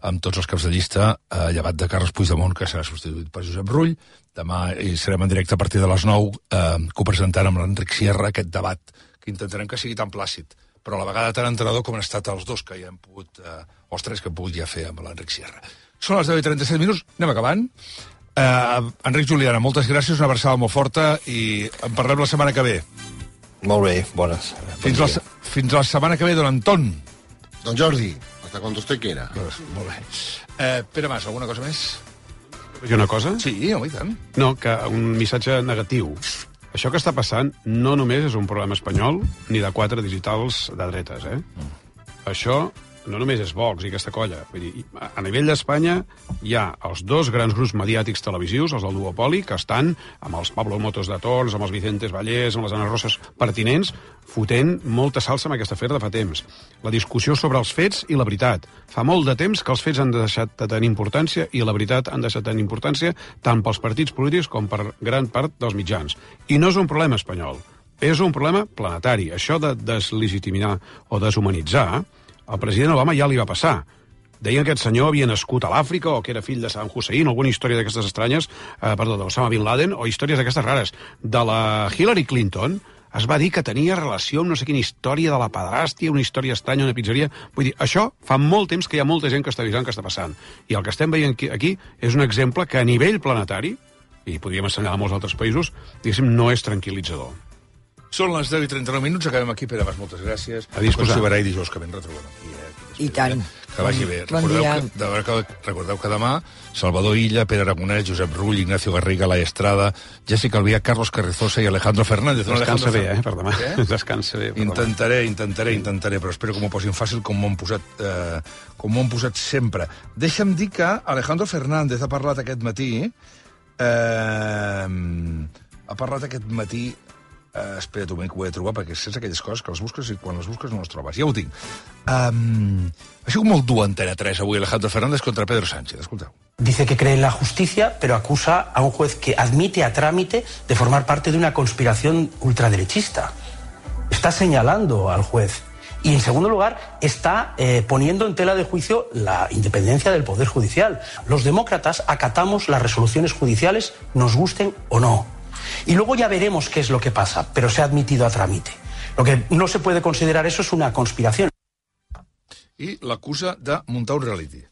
amb tots els caps de llista, llevat de Carles Puigdemont, que serà substituït per Josep Rull. Demà hi serem en directe a partir de les 9, copresentant amb l'Enric Sierra aquest debat, que intentarem que sigui tan plàcid, però a la vegada tan entenedor com han estat els dos que ja hem pogut, els tres que hem pogut ja fer amb l'Enric Sierra. Són les 10:37 minuts, anem acabant. Enric Juliana, moltes gràcies, una abraçada molt forta i en parlem la setmana que ve. Molt bé, bones. Fins la setmana que ve, don Anton. Don Jordi, hasta cuando usted quiera. Molt bé. Pere Mas, alguna cosa més? I una cosa? Sí, home, i tant. No, que un missatge negatiu. Això que està passant no només és un problema espanyol ni de 4 digitals de dretes, Això no només és Vox i aquesta colla. Vull dir, a nivell d'Espanya hi ha els dos grans grups mediàtics televisius, els del duopoli, que estan amb els Pablo Motos de Tons, amb els Vicentes Vallès, amb les Ana Roses pertinents, fotent molta salsa amb aquesta afer de fa temps. La discussió sobre els fets i la veritat. Fa molt de temps que els fets han deixat de tenir importància i la veritat han deixat de tenir importància tant pels partits polítics com per gran part dels mitjans. I no és un problema espanyol, és un problema planetari. Això de deslegitimar o deshumanitzar, al president Obama ja li va passar. Deien que aquest senyor havia nascut a l'Àfrica o que era fill de Saddam Hussein, alguna història d'aquestes estranyes, d'Osama Bin Laden, o històries d'aquestes rares. De la Hillary Clinton es va dir que tenia relació amb no sé quina història de la pedrastia, una història estranya, una pizzeria. Vull dir, això fa molt temps que hi ha molta gent que està avisant que està passant. I el que estem veient aquí és un exemple que a nivell planetari, i podríem assenyalar molts altres països, diguéssim, no és tranquil·litzador. Són les 10:39, acabem aquí. Pere Mas, moltes gràcies. A disposar. Ens i dijous que ben retrobem aquí. I tant. Que vagi bé. Bon dia. Recordeu que demà Salvador Illa, Pere Aragonès, Josep Rull, Ignacio Garriga, Laia Estrada, Jessica Albiach, Carlos Carrizosa i Alejandro Fernández. Descansa bé, per demà. Descansa bé. Intentaré, però espero que m'ho posin fàcil com m'ho han posat sempre. Deixa'm dir que Alejandro Fernández ha parlat aquest matí... espera't un moment que ho he de trobar, perquè és aquelles coses que les busques i quan les busques no les trobes. Ja ho tinc. Ha sigut molt dur Antena 3 avui Alejandro Fernández contra Pedro Sánchez. Escolteu. Dice que cree en la justicia, pero acusa a un juez que admite a trámite de formar parte de una conspiración ultraderechista. Está señalando al juez. Y, en segundo lugar, está poniendo en tela de juicio la independencia del Poder Judicial. Los demócratas acatamos las resoluciones judiciales, nos gusten o no. Y luego ya veremos qué es lo que pasa, pero se ha admitido a trámite. Lo que no se puede considerar eso es una conspiración. I l'acusa de muntar un reality.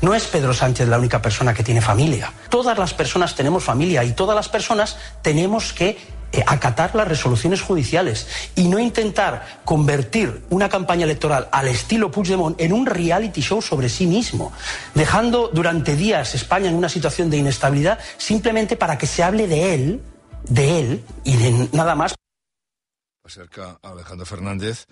No es Pedro Sánchez la única persona que tiene familia. Todas las personas tenemos familia y todas las personas tenemos que acatar las resoluciones judiciales y no intentar convertir una campaña electoral al estilo Puigdemont en un reality show sobre sí mismo, dejando durante días España en una situación de inestabilidad simplemente para que se hable de él y de nada más. Va ser que Alejandro Fernández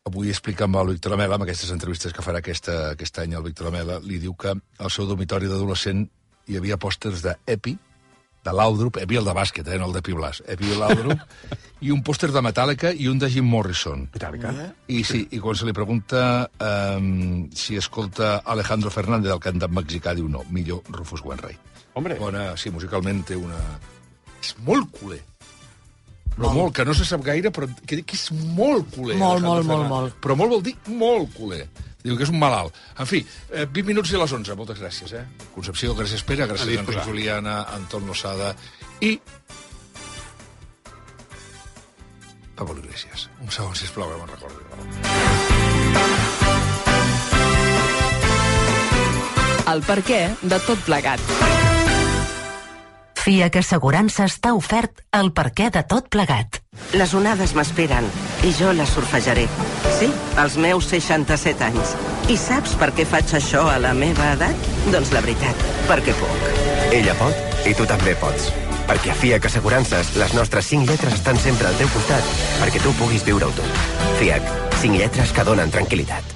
avui explica amb el Víctor Lamela, amb aquestes entrevistes que farà aquest any el Víctor Lamela, li diu que al seu dormitori d'adolescent hi havia pòsters d'Epi, de Laudrup, Epi el de bàsquet, no el de Pi Blas, Epi Laudrup, i un pòster de Metallica i un de Jim Morrison. Metallica? I quan se li pregunta si escolta Alejandro Fernández, el cantant mexicà, diu no, millor Rufus Wainwright. Hombre. Bona, sí, musicalment té una... És molt culer. Però molt, que no se sap gaire, però que és molt culer. Molt. Però molt vol dir molt culer. Diu que és un malalt. En fi, 20 minuts i a les 11. Moltes gràcies, Concepció, gràcies Pere, gràcies Enric Juliana, Anton Losada i... Pablo Iglesias. Un segon, sisplau, que me'n recordi. El perquè de tot plegat. FIAC Assegurances t'ha ofert el perquè de tot plegat. Les onades m'esperen i jo les surfejaré. Sí, als meus 67 anys. I saps per què faig això a la meva edat? Doncs la veritat, perquè puc. Ella pot i tu també pots. Perquè a FIAC Assegurances les nostres 5 lletres estan sempre al teu costat perquè tu puguis viure-ho tot. FIAC, 5 lletres que donen tranquil·litat.